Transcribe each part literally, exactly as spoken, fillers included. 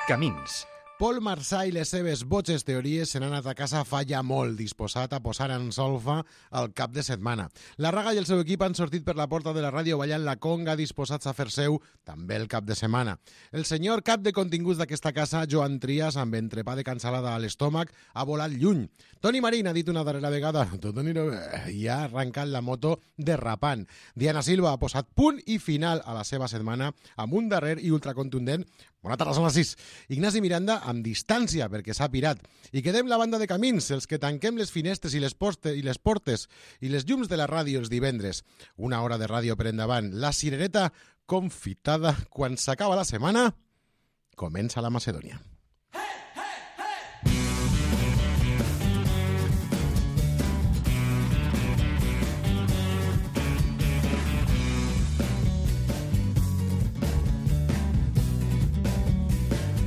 Camins. Pol Marçà i les seves boges teories se n'han anat a casa fa ja molt, disposat a posar en solfa al cap de setmana. La Raga i el seu equip han sortit per la porta de la ràdio ballant la conga, disposats a fer seu també el cap de setmana. El senyor cap de continguts d'aquesta casa, Joan Trias, amb entrepà de cansalada a l'estómac, ha volat lluny. Toni Marín ha dit una darrera vegada tot anirà bé i ha arrencat la moto derrapant. Diana Silva ha posat punt i final a la seva setmana amb un darrer i ultracontundent bona tarda, són les sis. Ignasi Miranda amb distància perquè s'ha pirat. I quedem la banda de camins, els que tanquem les finestres i les, poste, i les portes i les llums de la ràdio els divendres. Una hora de ràdio per endavant. La cirereta confitada. Quan s'acaba la setmana, comença la Macedònia.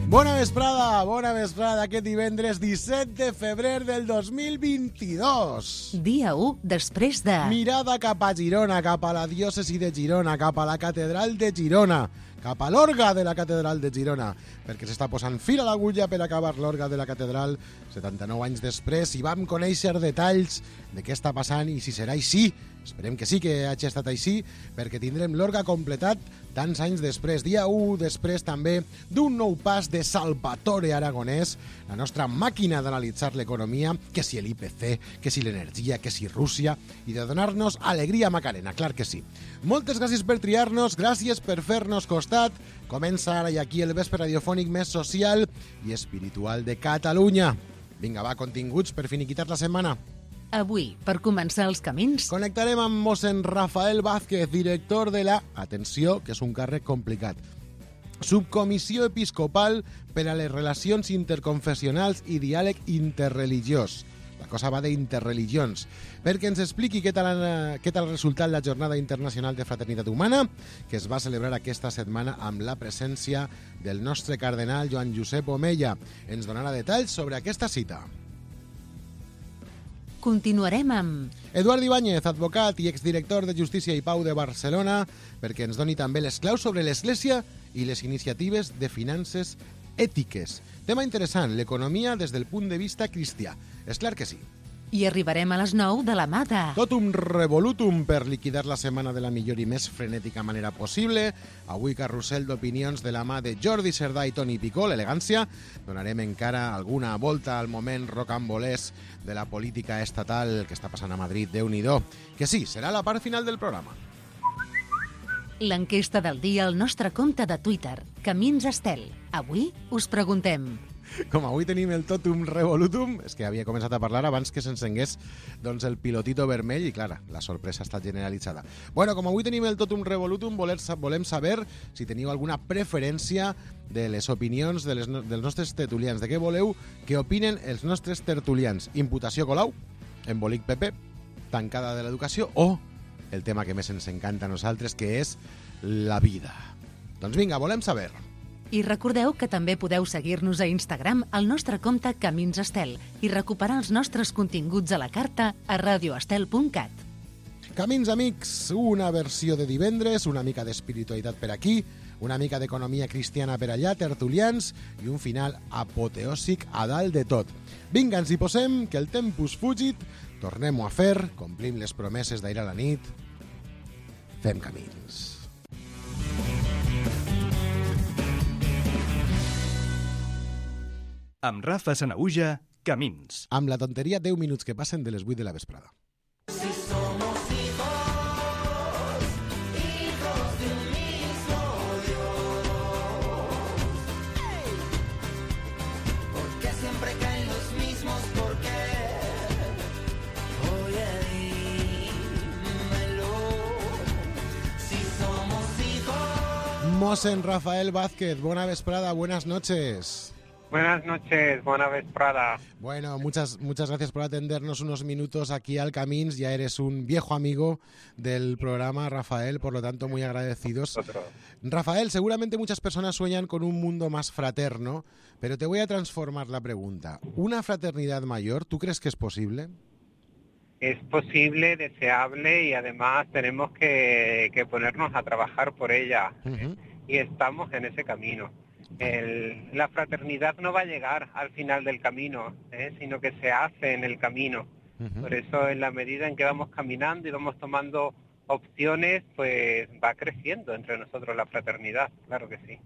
Bona vesprada, bona vesprada, aquest divendres disset de febrer del dos mil vint-i-dos. Dia u després de... Mirada cap a Girona, cap a la diòcesi de Girona, cap a la catedral de Girona, cap a l'orga de la catedral de Girona, perquè s'està posant fil a l'agulla per acabar l'orga de la catedral setanta-nou anys després, i vam conèixer detalls de què està passant i si serà així. Esperem que sí que hagi estat així, perquè tindrem l'orga completat tants anys després, dia u després també d'un nou pas de Salvatore Aragonès, la nostra màquina d'analitzar l'economia, que si l'I P C, que si l'energia, que si Rússia, i de donar-nos alegria Macarena, clar que sí. Moltes gràcies per triar-nos, gràcies per fer-nos costat. Comença ara i aquí el vespre radiofònic més social i espiritual de Catalunya. Vinga, va, continguts per finiquitar la setmana. Avui, per començar els camins... Connectarem amb mossèn Rafael Vázquez, director de la... Atenció, que és un càrrec complicat. Subcomissió Episcopal per a les Relacions Interconfessionals i Diàleg Interreligiós. La cosa va d'interreligions. Perquè ens expliqui què tal, què tal ha resultat la Jornada Internacional de Fraternitat Humana, que es va celebrar aquesta setmana amb la presència del nostre cardenal Joan Josep Omella. Ens donarà detalls sobre aquesta cita. Continuarem amb... Eduard Ibáñez, advocat i exdirector de Justícia i Pau de Barcelona, perquè ens doni també les claus sobre l'Església i les iniciatives de finances ètiques. Tema interessant, l'economia des del punt de vista cristià. És clar que sí. I arribarem a les nou de la mà de... Totum revolutum per liquidar la setmana de la millor i més frenètica manera possible. Avui carrusel d'opinions de la mà de Jordi Cerdà i Toni Picó, l'elegància. Donarem encara alguna volta al moment rocambolès de la política estatal que està passant a Madrid, Déu-n'hi-do. Que sí, serà la part final del programa. L'enquesta del dia al nostre compte de Twitter, Camins Estel. Avui us preguntem... Com avui tenim el totum revolutum, és que havia començat a parlar abans que s'encengués doncs, el pilotito vermell i, clar, la sorpresa ha estat generalitzada. Bueno, com avui tenim el totum revolutum, volem saber si teniu alguna preferència de les opinions de les, dels nostres tertulians. De què voleu que opinen els nostres tertulians? Imputació Colau, embolic P P, tancada de l'educació o el tema que més ens encanta a nosaltres, que és la vida. Doncs vinga, volem saber... I recordeu que també podeu seguir-nos a Instagram al nostre compte Camins Estel i recuperar els nostres continguts a la carta a radioestel punt cat. Camins amics, una versió de divendres, una mica d'espiritualitat per aquí, una mica d'economia cristiana per allà, tertulians i un final apoteòsic a dalt de tot. Vinga, ens hi posem, que el tempus fugit, tornem-ho a fer, complim les promeses d'ahir a la nit, fem camins. Amb Rafa Sanahuja, Camins. Amb la tonteria deu minuts que passen de les vuit de la vesprada. Si somos hijos, hijos de un mismo Dios. ¿Por qué siempre caen los mismos? ¿Por qué? Oye, dímelo. Si somos hijos. Mossèn Rafael Vázquez, buena vesprada, buenas noches. Buenas noches, buena vesprada. Bueno, muchas, muchas gracias por atendernos unos minutos aquí al Camins. Ya eres un viejo amigo del programa, Rafael, por lo tanto muy agradecidos. Otro. Rafael, seguramente muchas personas sueñan con un mundo más fraterno, pero te voy a transformar la pregunta. ¿Una fraternidad mayor, tú crees que es posible? Es posible, deseable y además tenemos que, que ponernos a trabajar por ella. Uh-huh. Y estamos en ese camino. el, la fraternidad no va a llegar al final del camino, ¿eh? sino que se hace en el camino. Uh-huh. Por eso, en la medida en que vamos caminando y vamos tomando opciones, pues va creciendo entre nosotros la fraternidad, claro que sí.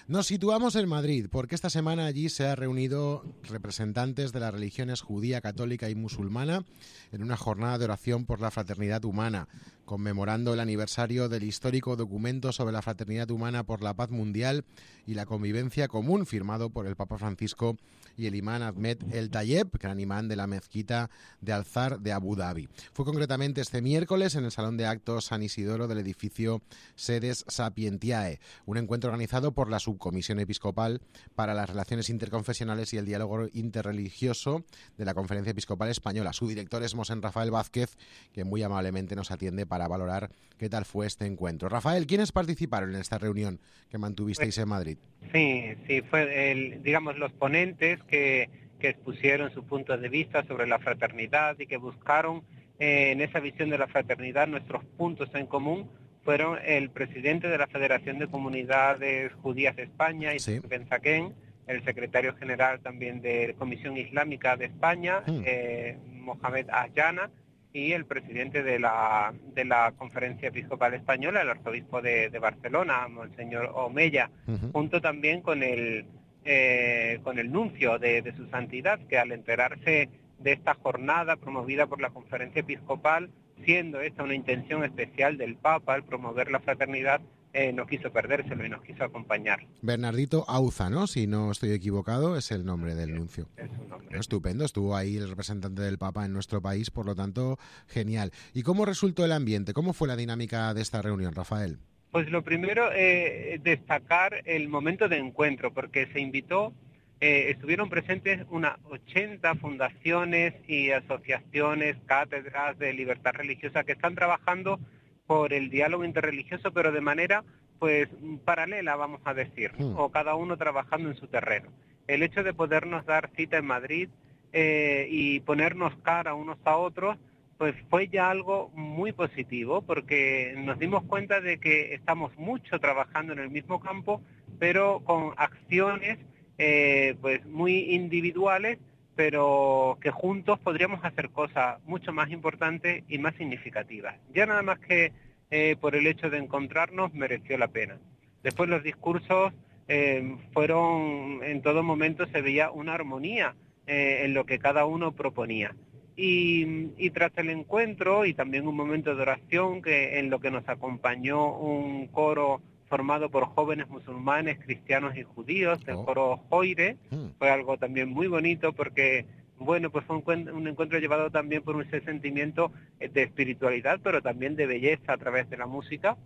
Nos situamos en Madrid, porque esta semana allí se han reunido representantes de las religiones judía, católica y musulmana en una jornada de oración por la fraternidad humana, conmemorando el aniversario del histórico documento sobre la fraternidad humana por la paz mundial y la convivencia común, firmado por el Papa Francisco y el imán Ahmed El Tayeb, gran imán de la mezquita de Al-Azhar de Abu Dhabi. Fue concretamente este miércoles en el Salón de Actos San Isidoro del edificio Sedes Sapientiae, un encuentro organizado por la Subcomisión Episcopal para las Relaciones Interconfesionales y el Diálogo Interreligioso de la Conferencia Episcopal Española. Su director es Mosén Rafael Vázquez, que muy amablemente nos atiende para valorar qué tal fue este encuentro. Rafael, ¿quiénes participaron en esta reunión que mantuvisteis en Madrid? Sí, sí, fue el, digamos, los ponentes que, que expusieron sus puntos de vista sobre la fraternidad y que buscaron eh, en esa visión de la fraternidad nuestros puntos en común. Fueron el presidente de la Federación de Comunidades Judías de España, sí. Ben Zaken, el secretario general también de Comisión Islámica de España, mm. eh, Mohamed Ayana, y el presidente de la de la Conferencia Episcopal Española, el arzobispo de, de Barcelona, Monseñor Omeya, uh-huh. junto también con el eh, con el nuncio de, de su santidad, que al enterarse de esta jornada promovida por la Conferencia Episcopal, siendo esta una intención especial del Papa, el promover la fraternidad, eh, no quiso perdérselo y nos quiso acompañar. Bernardito Auza, ¿no? Si no estoy equivocado, es el nombre del nuncio. Es un nombre. Estupendo, estuvo ahí el representante del Papa en nuestro país, por lo tanto, genial. ¿Y cómo resultó el ambiente? ¿Cómo fue la dinámica de esta reunión, Rafael? Pues lo primero, eh, destacar el momento de encuentro, porque se invitó, eh, estuvieron presentes unas ochenta fundaciones y asociaciones, cátedras de libertad religiosa que están trabajando por el diálogo interreligioso, pero de manera pues paralela, vamos a decir, mm. o cada uno trabajando en su terreno. El hecho de podernos dar cita en Madrid eh, y ponernos cara unos a otros, pues fue ya algo muy positivo, porque nos dimos cuenta de que estamos mucho trabajando en el mismo campo, pero con acciones eh, pues muy individuales, pero que juntos podríamos hacer cosas mucho más importantes y más significativas. Ya nada más que eh, por el hecho de encontrarnos mereció la pena. Después los discursos eh, fueron, en todo momento se veía una armonía eh, en lo que cada uno proponía. Y, y tras el encuentro y también un momento de oración que en lo que nos acompañó un coro formado por jóvenes musulmanes, cristianos y judíos, el coro Joire, mm. fue algo también muy bonito porque, bueno, pues fue un, un encuentro llevado también por ese sentimiento de espiritualidad, pero también de belleza a través de la música.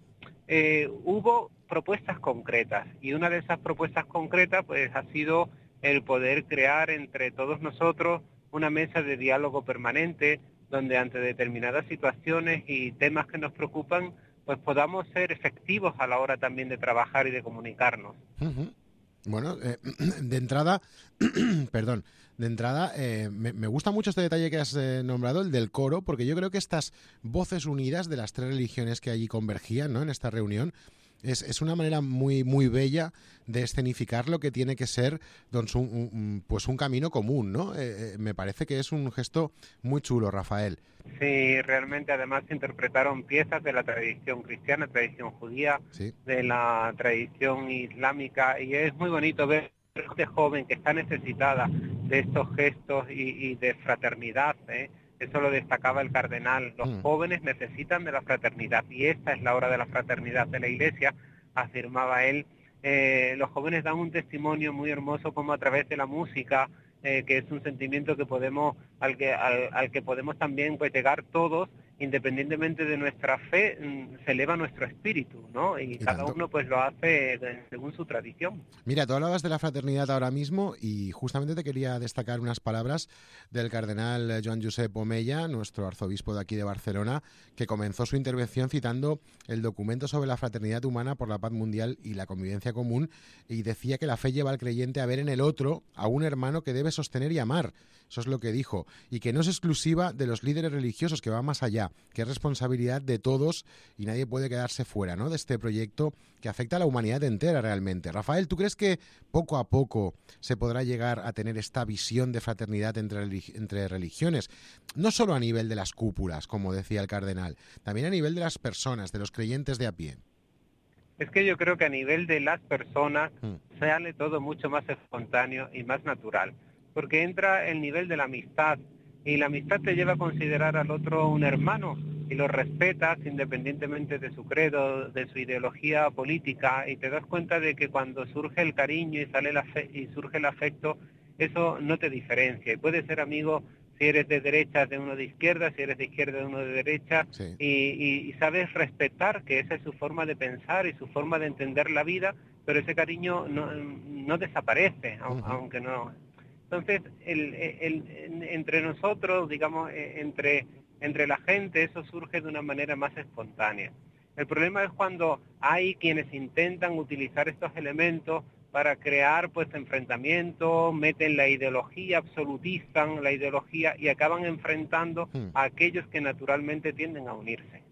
Eh, hubo propuestas concretas y una de esas propuestas concretas pues ha sido el poder crear entre todos nosotros una mesa de diálogo permanente donde ante determinadas situaciones y temas que nos preocupan pues podamos ser efectivos a la hora también de trabajar y de comunicarnos. Uh-huh. Bueno, eh, de entrada, perdón, de entrada eh, me, me gusta mucho este detalle que has eh, nombrado, el del coro, porque yo creo que estas voces unidas de las tres religiones que allí convergían, ¿no?, en esta reunión, es, es una manera muy muy bella de escenificar lo que tiene que ser doncs, un, un, pues un camino común, ¿no? Eh, eh, me parece que es un gesto muy chulo, Rafael. Sí, realmente además se interpretaron piezas de la tradición cristiana, tradición judía, sí. de la tradición islámica, y es muy bonito ver a gente joven que está necesitada de estos gestos y, y de fraternidad, ¿eh? Eso lo destacaba el cardenal. Los mm. jóvenes necesitan de la fraternidad y esta es la hora de la fraternidad de la Iglesia, afirmaba él. Eh, los jóvenes dan un testimonio muy hermoso como a través de la música, eh, que es un sentimiento que podemos al que al, al que podemos también pues llegar todos, independientemente de nuestra fe, se eleva nuestro espíritu, ¿no? Y, y cada tanto. uno pues lo hace según su tradición. Mira, tú hablabas de la fraternidad ahora mismo y justamente te quería destacar unas palabras del cardenal Joan Josep Omeya, nuestro arzobispo de aquí de Barcelona, que comenzó su intervención citando el documento sobre la fraternidad humana por la paz mundial y la convivencia común, y decía que la fe lleva al creyente a ver en el otro a un hermano que debe sostener y amar. eso es lo que dijo, y que no es exclusiva de los líderes religiosos, que va más allá, que es responsabilidad de todos y nadie puede quedarse fuera, ¿no?, de este proyecto que afecta a la humanidad entera realmente. Rafael, ¿tú crees que poco a poco se podrá llegar a tener esta visión de fraternidad entre, entre religiones? No solo a nivel de las cúpulas, como decía el cardenal, también a nivel de las personas, de los creyentes de a pie. Es que yo creo que a nivel de las personas Mm. sale todo mucho más espontáneo y más natural, porque entra el nivel de la amistad, y la amistad te lleva a considerar al otro un hermano y lo respetas independientemente de su credo, de su ideología política, y te das cuenta de que cuando surge el cariño y sale el afe- y surge el afecto, eso no te diferencia, y puedes ser amigo si eres de derecha de uno de izquierda, si eres de izquierda de uno de derecha, Sí. y, y, y sabes respetar que esa es su forma de pensar y su forma de entender la vida, pero ese cariño no, no desaparece, au- Ujú. aunque no. Entonces, el, el- el- entre nosotros, digamos, eh, entre, entre la gente, eso surge de una manera más espontánea. El problema es cuando hay quienes intentan utilizar estos elementos para crear pues enfrentamientos, meten la ideología, absolutizan la ideología y acaban enfrentando Hmm. a aquellos que naturalmente tienden a unirse.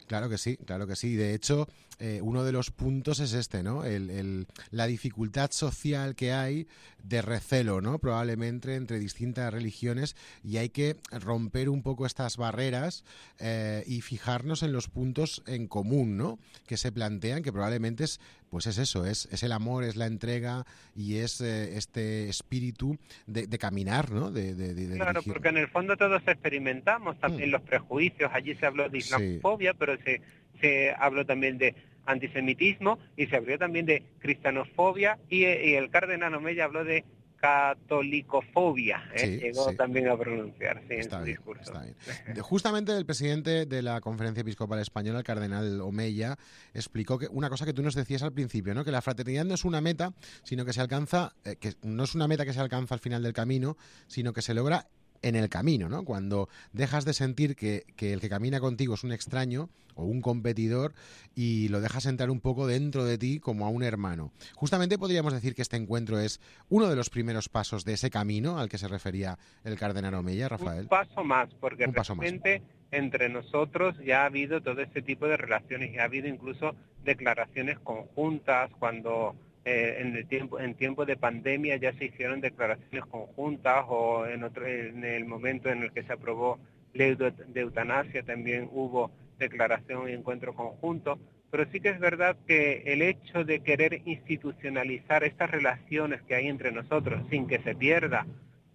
Claro que sí, claro que sí. De hecho, eh, uno de los puntos es este, ¿no? El, el, la dificultad social que hay de recelo, ¿no? Probablemente entre distintas religiones, y hay que romper un poco estas barreras eh, y fijarnos en los puntos en común, ¿no?, que se plantean, que probablemente es, pues es eso, es, es el amor, es la entrega y es eh, este espíritu de, de caminar, ¿no? De, de, de Claro, dirigir. porque en el fondo todos experimentamos también Hmm. los prejuicios. Allí se habló de Sí. islamofobia, pero se, se habló también de antisemitismo y se habló también de cristianofobia, y, y el cardenal Omeya habló de catolicofobia, ¿eh? Sí, Llegó sí. también a pronunciar, sí, en Está su bien, discurso. está bien. De- Justamente el presidente de la Conferencia Episcopal Española, el cardenal Omeya, explicó que una cosa que tú nos decías al principio, ¿no?, que la fraternidad no es una meta, sino que se alcanza, eh, que no es una meta que se alcanza al final del camino, sino que se logra en el camino, ¿no? Cuando dejas de sentir que, que el que camina contigo es un extraño o un competidor y lo dejas entrar un poco dentro de ti como a un hermano. Justamente podríamos decir que este encuentro es uno de los primeros pasos de ese camino al que se refería el cardenal Omeya, Rafael. Un paso más, porque Un paso más. realmente entre nosotros ya ha habido todo este tipo de relaciones, y ha habido incluso declaraciones conjuntas cuando eh, en el tiempo en tiempo de pandemia ya se hicieron declaraciones conjuntas, o en otro en el momento en el que se aprobó ley de, de eutanasia también hubo declaración y encuentro conjunto. Pero sí que es verdad que el hecho de querer institucionalizar estas relaciones que hay entre nosotros sin que se pierda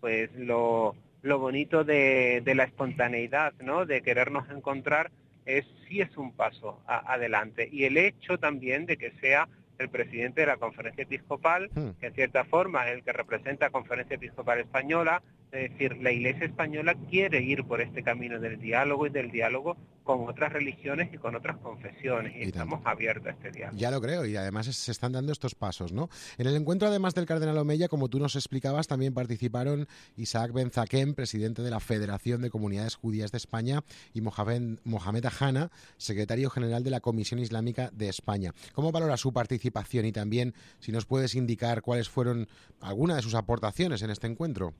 pues lo, lo bonito de, de la espontaneidad, ¿no?, de querernos encontrar, es sí es un paso a, adelante. Y el hecho también de que sea el presidente de la Conferencia Episcopal, Hmm. que en cierta forma es el que representa a Conferencia Episcopal Española, es decir, la Iglesia española quiere ir por este camino del diálogo y del diálogo con otras religiones y con otras confesiones, y, Y estamos tanto. abiertos a este diálogo. Ya lo creo, y además es- se están dando estos pasos, ¿no? En el encuentro, además del cardenal Omeya, como tú nos explicabas, también participaron Isaac Ben Zaquem, presidente de la Federación de Comunidades Judías de España, y Mohamed, Mohamed Ahana, secretario general de la Comisión Islámica de España. ¿Cómo valora su participación, y también si nos puedes indicar cuáles fueron algunas de sus aportaciones en este encuentro?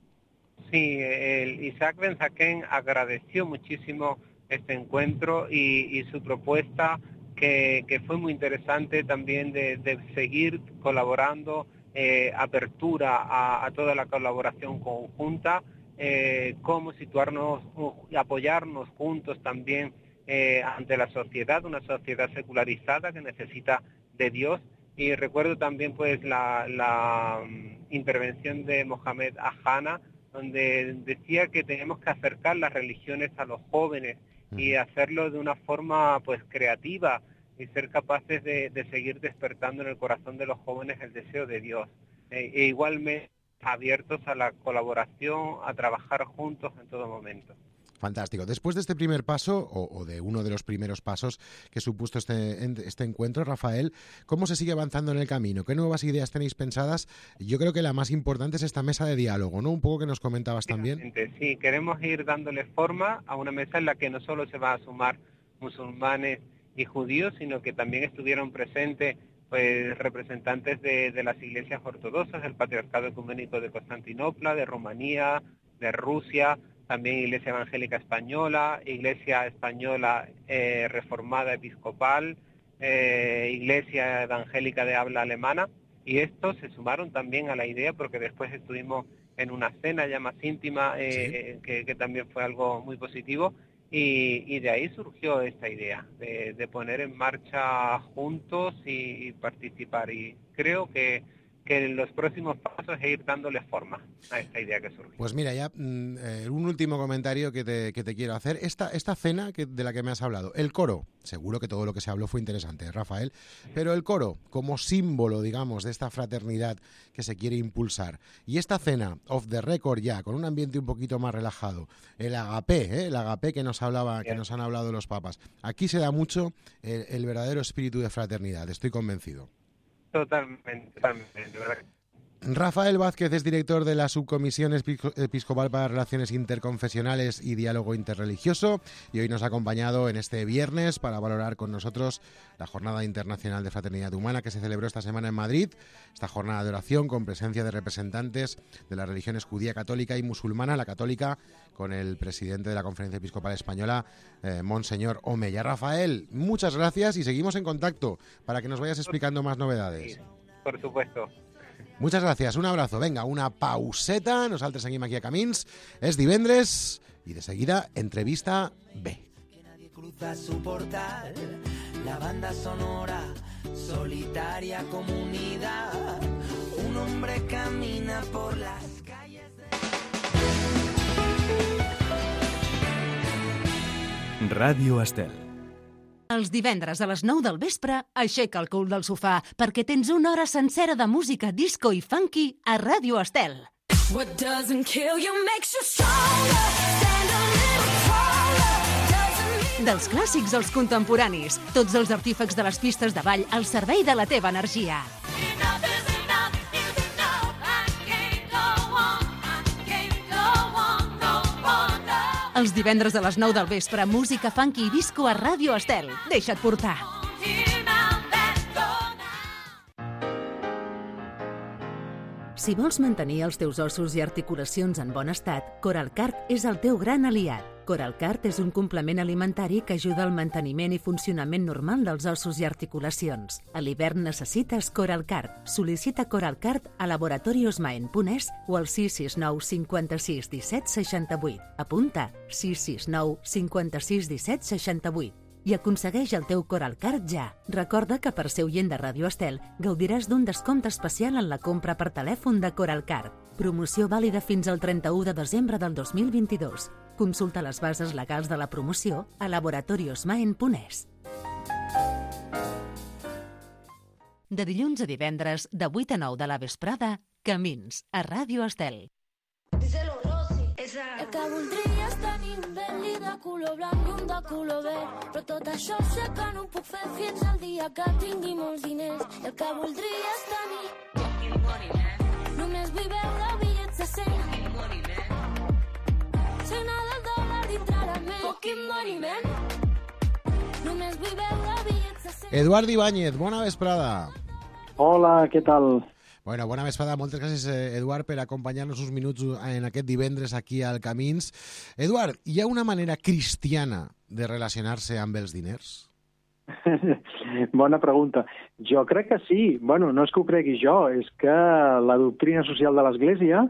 Sí, el Isaac Ben Zaquem agradeció muchísimo este encuentro y, y su propuesta, que, que fue muy interesante también de, de seguir colaborando, eh, apertura a, a toda la colaboración conjunta, eh, cómo situarnos y apoyarnos juntos también eh, ante la sociedad, una sociedad secularizada que necesita de Dios. Y recuerdo también pues la, la um, intervención de Mohamed Ahana, donde decía que tenemos que acercar las religiones a los jóvenes y hacerlo de una forma pues creativa, y ser capaces de, de seguir despertando en el corazón de los jóvenes el deseo de Dios, e, e igualmente abiertos a la colaboración, a trabajar juntos en todo momento. Fantástico. Después de este primer paso, o, o de uno de los primeros pasos que supuso este, este encuentro, Rafael, ¿cómo se sigue avanzando en el camino? ¿Qué nuevas ideas tenéis pensadas? Yo creo que la más importante es esta mesa de diálogo, ¿no? Un poco que nos comentabas también. Sí, queremos ir dándole forma a una mesa en la que no solo se va a sumar musulmanes y judíos, sino que también estuvieron presentes pues representantes de, de las iglesias ortodoxas, del Patriarcado Ecuménico de Constantinopla, de Rumanía, de Rusia, también Iglesia Evangélica Española, Iglesia Española eh, Reformada Episcopal, eh, Iglesia Evangélica de habla alemana, y estos se sumaron también a la idea porque después estuvimos en una cena ya más íntima, eh, sí. que, que también fue algo muy positivo, y, y de ahí surgió esta idea de, de poner en marcha juntos y, y participar, y creo que que en los próximos pasos es ir dándole forma a esta idea que surge. Pues mira, ya eh, un último comentario que te, que te quiero hacer. Esta, esta cena que, de la que me has hablado, el coro, seguro que todo lo que se habló fue interesante, Rafael, pero el coro como símbolo, digamos, de esta fraternidad que se quiere impulsar, y esta cena off the record ya, con un ambiente un poquito más relajado, el agapé, ¿eh? el agapé que nos hablaba, que nos han hablado los papas, aquí se da mucho el, el verdadero espíritu de fraternidad, estoy convencido. Totalmente, totalmente, ¿verdad? Rafael Vázquez es director de la Subcomisión Episcopal para Relaciones Interconfesionales y Diálogo Interreligioso, y hoy nos ha acompañado en este viernes para valorar con nosotros la Jornada Internacional de Fraternidad Humana que se celebró esta semana en Madrid, esta jornada de oración con presencia de representantes de las religiones judía, católica y musulmana, la católica con el presidente de la Conferencia Episcopal Española, eh, Monseñor Omeya. Rafael, muchas gracias y seguimos en contacto para que nos vayas explicando más novedades. Sí, por supuesto. Muchas gracias, un abrazo. Venga, una pauseta, nosaltres seguim aquí a Camins. És divendres i de seguida entrevista B. Que nadie cruza su portal, la banda sonora, solitaria comunidad, un hombre camina por las calles de... Ràdio Estel. Els divendres a les nou del vespre, aixeca el cul del sofà perquè tens una hora sencera de música disco i funky a Ràdio Estel. What doesn't kill you makes you stronger. Stand a little taller. Doesn't mean... Dels clàssics als contemporanis, tots els artífecs de les pistes de ball al servei de la teva energia. Enough is enough is enough. I can't go on. I can't go on no longer. Els divendres a les nou del vespre, música funky i disco a Ràdio Estel. Deixa't portar. Here now, let's go now. Si vols mantenir els teus ossos i articulacions en bon estat, Coralcart és el teu gran aliat. Coralcart és un complement alimentari que ajuda al manteniment i funcionament normal dels ossos i articulacions. A l'hivern necessites Coralcart. Sol·licita Coralcart a laboratorios maen punt es o al sis sis nou cinquanta-sis disset seixanta-vuit. Apunta sis sis nou cinquanta-sis disset seixanta-vuit i aconsegueix el teu Coralcart ja. Recorda que per ser oient de Ràdio Estel gaudiràs d'un descompte especial en la compra per telèfon de Coralcart. Promoció vàlida fins al trenta-u de desembre del dos mil vint-i-dos. Consulta les bases legals de la promoció a laboratorios maen punt es. De dilluns a divendres, de vuit a nou de la vesprada, Camins, a Ràdio Estel. Díselo, Rosy. Esa... El que voldria és tenir un Bentley de color blanc i un de color verd, però tot això sé que no ho puc fer fins al dia que tingui molts diners. El que voldria és tenir fucking money, man. Només vull veure bitllets de cent. Fucking money, man. Signar del dòlar dintre la ment. Fucking money, man. Només vull veure bitllets de cent. Eduard Ibáñez, bona vesprada. Hola, què tal? Bueno, bona vesprada. Moltes gràcies, Eduard, per acompanyar-nos uns minuts en aquest divendres aquí al Camins. Eduard, hi ha una manera cristiana de relacionar-se amb els diners? Bona pregunta. Jo crec que sí. Bueno, no és que ho cregui jo, és que la doctrina social de l'Església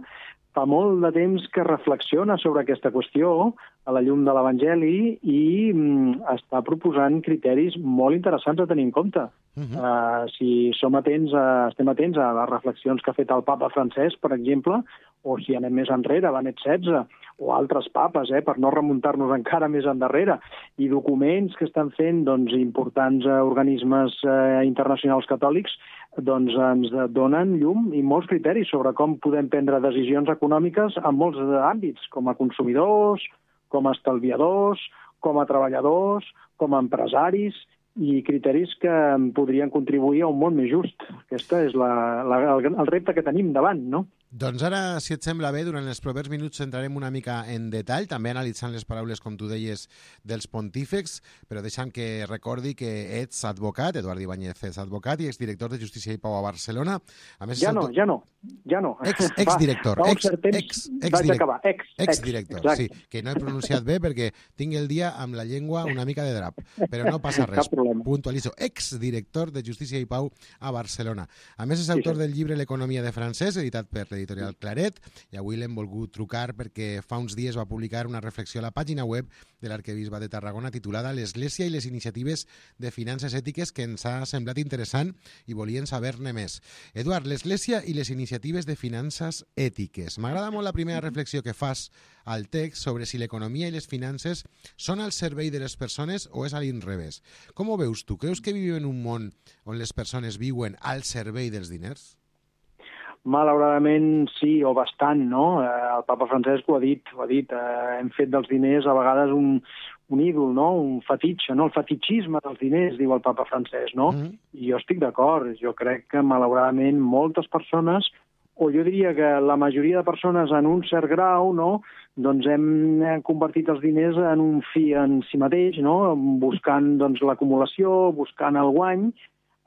fa molt de temps que reflexiona sobre aquesta qüestió a la llum de l'Evangeli i mm, està proposant criteris molt interessants a tenir en compte. Uh -huh. uh, si som atents a, estem atents a les reflexions que ha fet el papa Francesc, per exemple, o si anem més enrere, Benet setze, o altres papes, eh, per no remuntar-nos encara més endarrere, i documents que estan fent doncs, importants eh, organismes eh, internacionals catòlics, doncs ens donen llum i molts criteris sobre com podem prendre decisions econòmiques en molts àmbits, com a consumidors, com a estalviadors, com a treballadors, com a empresaris, i criteris que podrien contribuir a un món més just. Aquesta és la, la, el, el repte que tenim davant, no? Doncs ara, si et sembla bé, durant els propers minuts entrarem una mica en detall, també analitzant les paraules, com tu deies, dels pontífex, però deixant que recordi que ets advocat, Eduard Ibáñez és advocat i exdirector de Justícia i Pau a Barcelona. A més, ja no, ja no, ja no. Ex, exdirector, fa, ex, temps ex, vaig exdirect, acabar. Ex, exdirector, ex, sí, que no he pronunciat bé perquè tinc el dia amb la llengua una mica de drap, però no passa res, puntualitzo, exdirector de Justícia i Pau a Barcelona. A més, és autor sí, sí. del llibre L'economia de francès, editat per l'editorial Claret, i avui l'hem volgut trucar perquè fa uns dies va publicar una reflexió a la pàgina web de l'arquebisbe de Tarragona titulada L'Església i les iniciatives de finances ètiques, que ens ha semblat interessant i volien saber-ne més. Eduard, l'Església i les iniciatives de finances ètiques. M'agrada molt la primera reflexió que fas al text sobre si l'economia i les finances són al servei de les persones o és a l'inrevés. Com ho veus tu? Creus que vivim en un món on les persones viuen al servei dels diners? Malauradament sí, o bastant, no? El papa Francesc ho ha dit, ho ha dit. Eh, hem fet dels diners a vegades un, un ídol, no? Un fetitxe, no? El fetitxisme dels diners, diu el papa Francesc, no? Mm. I jo estic d'acord. Jo crec que malauradament moltes persones, o jo diria que la majoria de persones en un cert grau, no? Doncs hem convertit els diners en un fi en si mateix, no? Buscant doncs, l'acumulació, buscant el guany,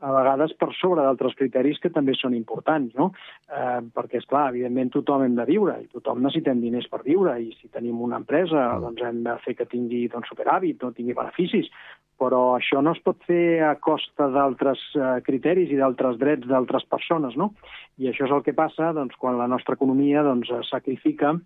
a vegades per sobre d'altres criteris que també són importants, no? Eh, perquè, esclar, evidentment tothom hem de viure i tothom necessitem diners per viure i si tenim una empresa doncs hem de fer que tingui doncs, superàvit, no tingui beneficis, però això no es pot fer a costa d'altres eh, criteris i d'altres drets d'altres persones, no? I això és el que passa doncs, quan la nostra economia doncs, sacrifica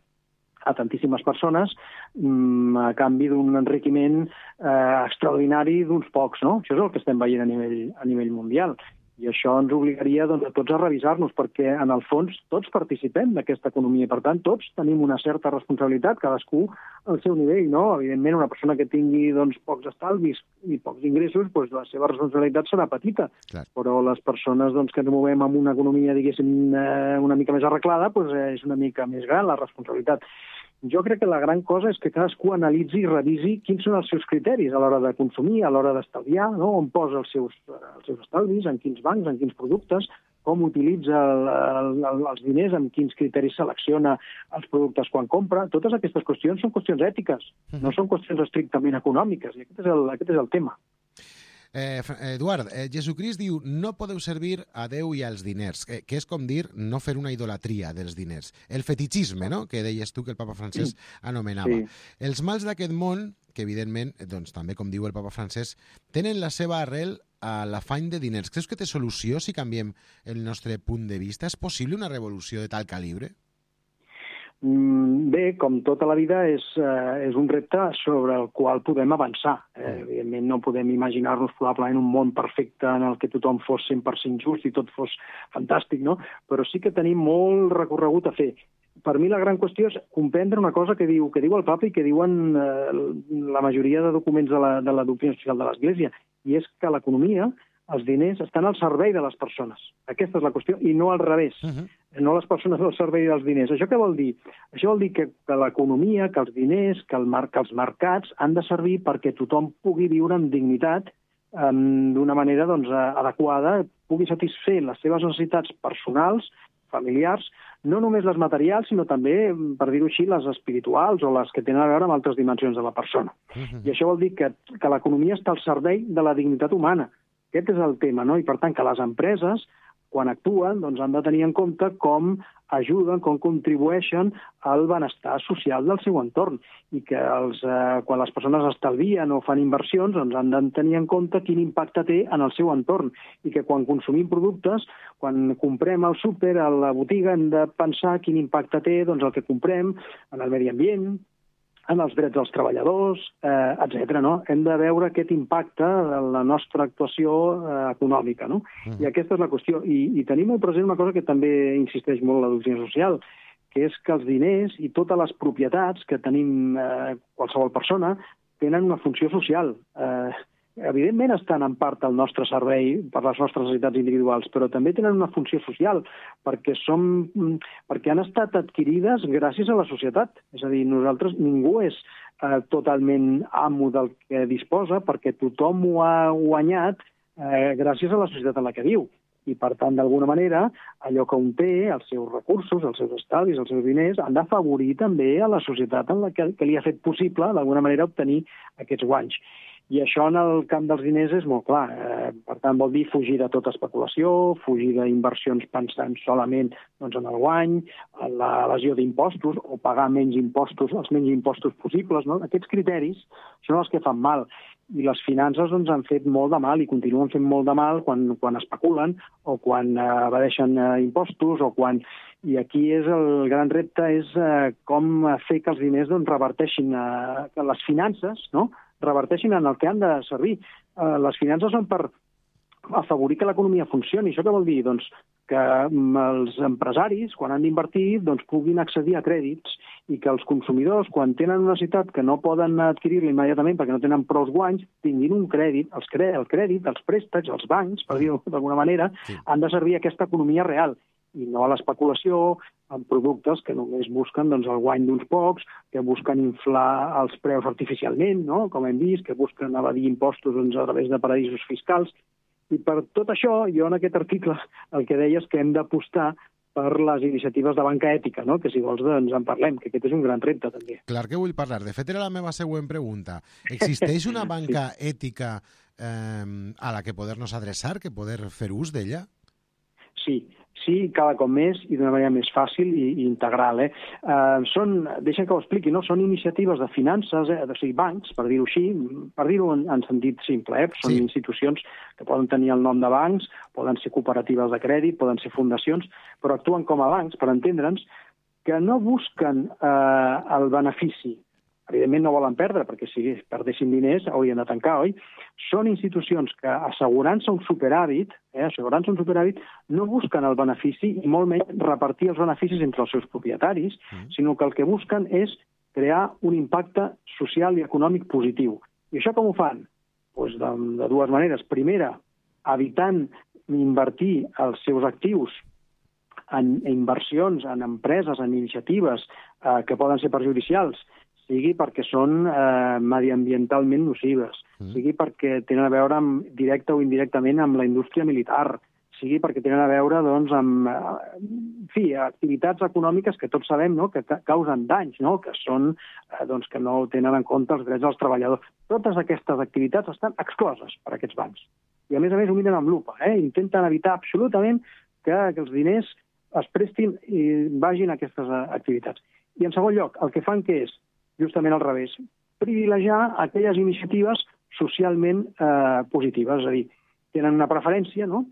a tantíssimes persones mmm, a canvi d'un enriquiment eh, extraordinari d'uns pocs, no? Això és el que estem veient a nivell, a nivell mundial. I això ens obligaria doncs, a tots a revisar-nos, perquè en el fons tots participem d'aquesta economia i, per tant, tots tenim una certa responsabilitat, cadascú al seu nivell, no? Evidentment, una persona que tingui doncs, pocs estalvis i pocs ingressos, doncs, la seva responsabilitat serà petita. Clar. Però les persones doncs, que ens movem amb una economia, diguéssim, eh, una mica més arreglada, doncs, eh, és una mica més gran la responsabilitat. Jo crec que la gran cosa és que cadascú analitzi i revisi quins són els seus criteris a l'hora de consumir, a l'hora d'estalviar, no? On posa els seus, els seus estalvis, en quins bancs, en quins productes, com utilitza el, el, el, els diners, amb quins criteris selecciona els productes quan compra. Totes aquestes qüestions són qüestions ètiques, no són qüestions estrictament econòmiques, i aquest és el, aquest és el tema. Eh, Eduard, eh, Jesucrist diu no podeu servir a Déu i als diners, eh, que és com dir no fer una idolatria dels diners. El fetitxisme, no?, que deies tu que el papa Francesc anomenava. Sí. Els mals d'aquest món, que evidentment, doncs, també com diu el papa Francesc, tenen la seva arrel a l'afany de diners. Creus que té solució si canviem el nostre punt de vista? És possible una revolució de tal calibre? Bé, com tota la vida, és, eh, és un repte sobre el qual podem avançar. Eh, evidentment no podem imaginar-nos probablement un món perfecte en el que tothom fos cent per cent just i tot fos fantàstic, no? Però sí que tenim molt recorregut a fer. Per mi la gran qüestió és comprendre una cosa que diu, que diu el papa i que diuen eh, la majoria de documents de la, de la doctrina social de l'Església, i és que l'economia, els diners, estan al servei de les persones. Aquesta és la qüestió, i no al revés. Uh-huh. No les persones al servei dels diners. Això què vol dir? Això vol dir que, que l'economia, que els diners, que, el mar, que els mercats han de servir perquè tothom pugui viure amb dignitat um, d'una manera doncs, adequada, pugui satisfer les seves necessitats personals, familiars, no només les materials, sinó també, per dir-ho així, les espirituals o les que tenen a veure amb altres dimensions de la persona. Uh-huh. I això vol dir que, que l'economia està al servei de la dignitat humana. Aquest és el tema, no? I per tant que les empreses, quan actuen, doncs han de tenir en compte com ajuden, com contribueixen al benestar social del seu entorn i que els, eh, quan les persones estalvien o fan inversions doncs han de tenir en compte quin impacte té en el seu entorn i que quan consumim productes, quan comprem al súper, a la botiga, hem de pensar quin impacte té doncs, el que comprem en el medi ambient, en els drets dels treballadors, eh, etcètera. No? Hem de veure aquest impacte de la nostra actuació eh, econòmica. No? Mm. I aquesta és la qüestió. I, I tenim molt present una cosa que també insisteix molt la doctrina social, que és que els diners i totes les propietats que tenim eh, qualsevol persona tenen una funció social. Eh, evidentment estan en part al nostre servei per les nostres necessitats individuals, però també tenen una funció social, perquè, som, perquè han estat adquirides gràcies a la societat. És a dir, nosaltres, ningú és eh, totalment amo del que disposa, perquè tothom ho ha guanyat eh, gràcies a la societat en la que viu. I, per tant, d'alguna manera, allò que un té, els seus recursos, els seus estalvis, els seus diners, han d'afavorir també a la societat en la que, que li ha fet possible, d'alguna manera, obtenir aquests guanys. I això en el camp dels diners és molt clar. Eh, per tant, vol dir fugir de tota especulació, fugir d'inversions pensant solament doncs, en el guany, en l'evasió d'impostos, o pagar menys impostos, els menys impostos possibles. No? Aquests criteris són els que fan mal. I les finances doncs, han fet molt de mal i continuen fent molt de mal quan, quan especulen o quan eh, evadeixen eh, impostos o quan... I aquí és el gran repte és eh, com fer que els diners doncs, reverteixin, eh, que les finances no? reverteixin en el que han de servir. Eh, les finances són per afavorir que l'economia funcioni. Això què vol dir? Doncs que els empresaris, quan han d'invertir, doncs, puguin accedir a crèdits i que els consumidors, quan tenen una necessitat que no poden adquirir-la immediatament perquè no tenen prou guanys, tinguin un crèdit, els cre el crèdit, els préstecs, els bancs, per dir-ho d'alguna manera, sí. han de servir a aquesta economia real i no a l'especulació amb productes que només busquen doncs, el guany d'uns pocs, que busquen inflar els preus artificialment, no? Com hem vist, que busquen evadir impostos doncs, a través de paradisos fiscals. I per tot això, jo en aquest article el que deia és que hem d'apostar per les iniciatives de banca ètica, no? Que si vols doncs en parlem, que aquest és un gran repte també. Clar que vull parlar. De fet, era la meva següent pregunta. Existeix una banca sí. ètica eh, a la que poder-nos adreçar, que poder fer ús d'ella? Sí, sí, cada cop més i d'una manera més fàcil i, i integral. Eh? Uh, són, deixa'm que ho expliqui, no? Són iniciatives de finances, eh? o sigui, bancs, per dir-ho així, per dir-ho en, en sentit simple. Eh? Són sí. institucions que poden tenir el nom de bancs, poden ser cooperatives de crèdit, poden ser fundacions, però actuen com a bancs, per entendre'ns, que no busquen eh, el benefici. Evidentment no volen perdre, perquè si perdessin diners haurien de tancar, oi? Són institucions que, assegurant-se un superàvit, eh, assegurant-se un superàvit, no busquen el benefici i molt menys repartir els beneficis entre els seus propietaris, mm. sinó que el que busquen és crear un impacte social i econòmic positiu. I això com ho fan? Pues de, de dues maneres. Primera, evitant invertir els seus actius en inversions, en empreses, en iniciatives eh, que poden ser perjudicials, sigui perquè són eh, mediambientalment nocives, mm. sigui perquè tenen a veure amb, directe o indirectament amb la indústria militar, sigui perquè tenen a veure doncs, amb eh, en fi, activitats econòmiques que tots sabem no? que causen danys, no? que són eh, doncs, que no tenen en compte els drets dels treballadors. Totes aquestes activitats estan excloses per aquests bancs. I a més a més ho miren amb lupa, eh? intenten evitar absolutament que, que els diners es prestin i vagin a aquestes activitats. I en segon lloc, el que fan que és justament al revés, privilegiar aquelles iniciatives socialment eh, positives, és a dir, tenen una preferència no?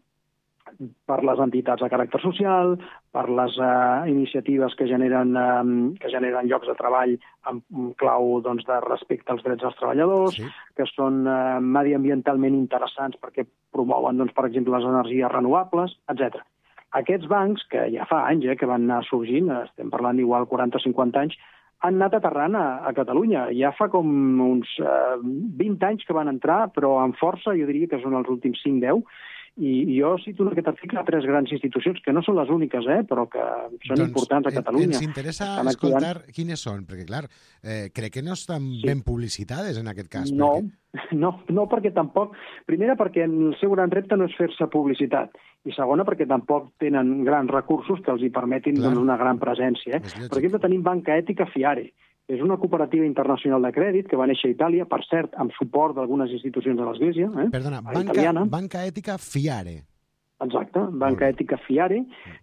per les entitats de caràcter social, per les eh, iniciatives que generen, eh, que generen llocs de treball amb clau doncs, de respecte als drets dels treballadors, sí. que són eh, mediambientalment interessants perquè promouen, doncs, per exemple, les energies renovables, etcètera. Aquests bancs, que ja fa anys eh, que van anar sorgint, estem parlant d'igual quaranta o cinquanta anys, han anat aterrant a, a Catalunya. Ja fa com uns eh, vint anys que van entrar, però amb força, jo diria que són els últims cinc deu, i, i jo cito en aquest article tres grans institucions, que no són les úniques, eh, però que són doncs, importants a Catalunya. Ens interessa escoltar actuant... quines són, perquè clar, eh, crec que no estan sí. ben publicitades en aquest cas. No, perquè... no, no perquè tampoc... Primera, perquè el seu gran repte no és fer-se publicitat, i segona, perquè tampoc tenen grans recursos que els hi permetin doncs, una gran presència. Eh? Per exemple, tenim Banca Ètica Fiare, és una cooperativa internacional de crèdit que va néixer a Itàlia, per cert, amb suport d'algunes institucions de l'Església. Eh? Perdona, banca, banca Ètica Fiare. Exacte, Banca Ètica Fiare,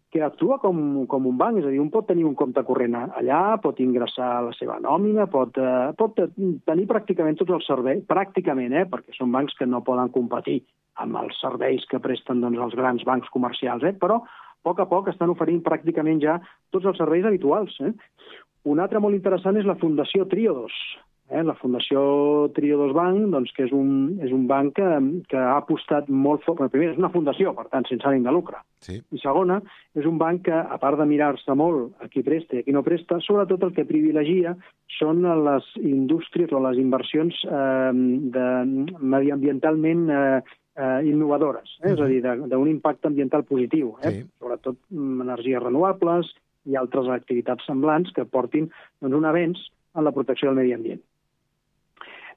que actua com, com un banc, és a dir, un pot tenir un compte corrent allà, pot ingressar la seva nòmina, pot, eh, pot tenir pràcticament tots els serveis, pràcticament, eh, perquè són bancs que no poden competir amb els serveis que presten doncs, els grans bancs comercials, eh, però a poc a poc estan oferint pràcticament ja tots els serveis habituals. Eh? Un altre molt interessant és la Fundació Triodos. Eh? La Fundació Triodos Bank, doncs, que és un, és un banc que, que ha apostat molt fort. Bueno, primer, és una fundació, per tant, sense ànim de lucre. Sí. I segona, és un banc que, a part de mirar-se molt a qui presta i a qui no presta, sobretot el que privilegia són les indústries o les inversions eh, de, mediambientalment eh, eh, innovadores, eh? és a dir, d'un impacte ambiental positiu, eh? Sí. Sobretot energies renovables i altres activitats semblants que portin doncs, un avenç en la protecció del medi ambient.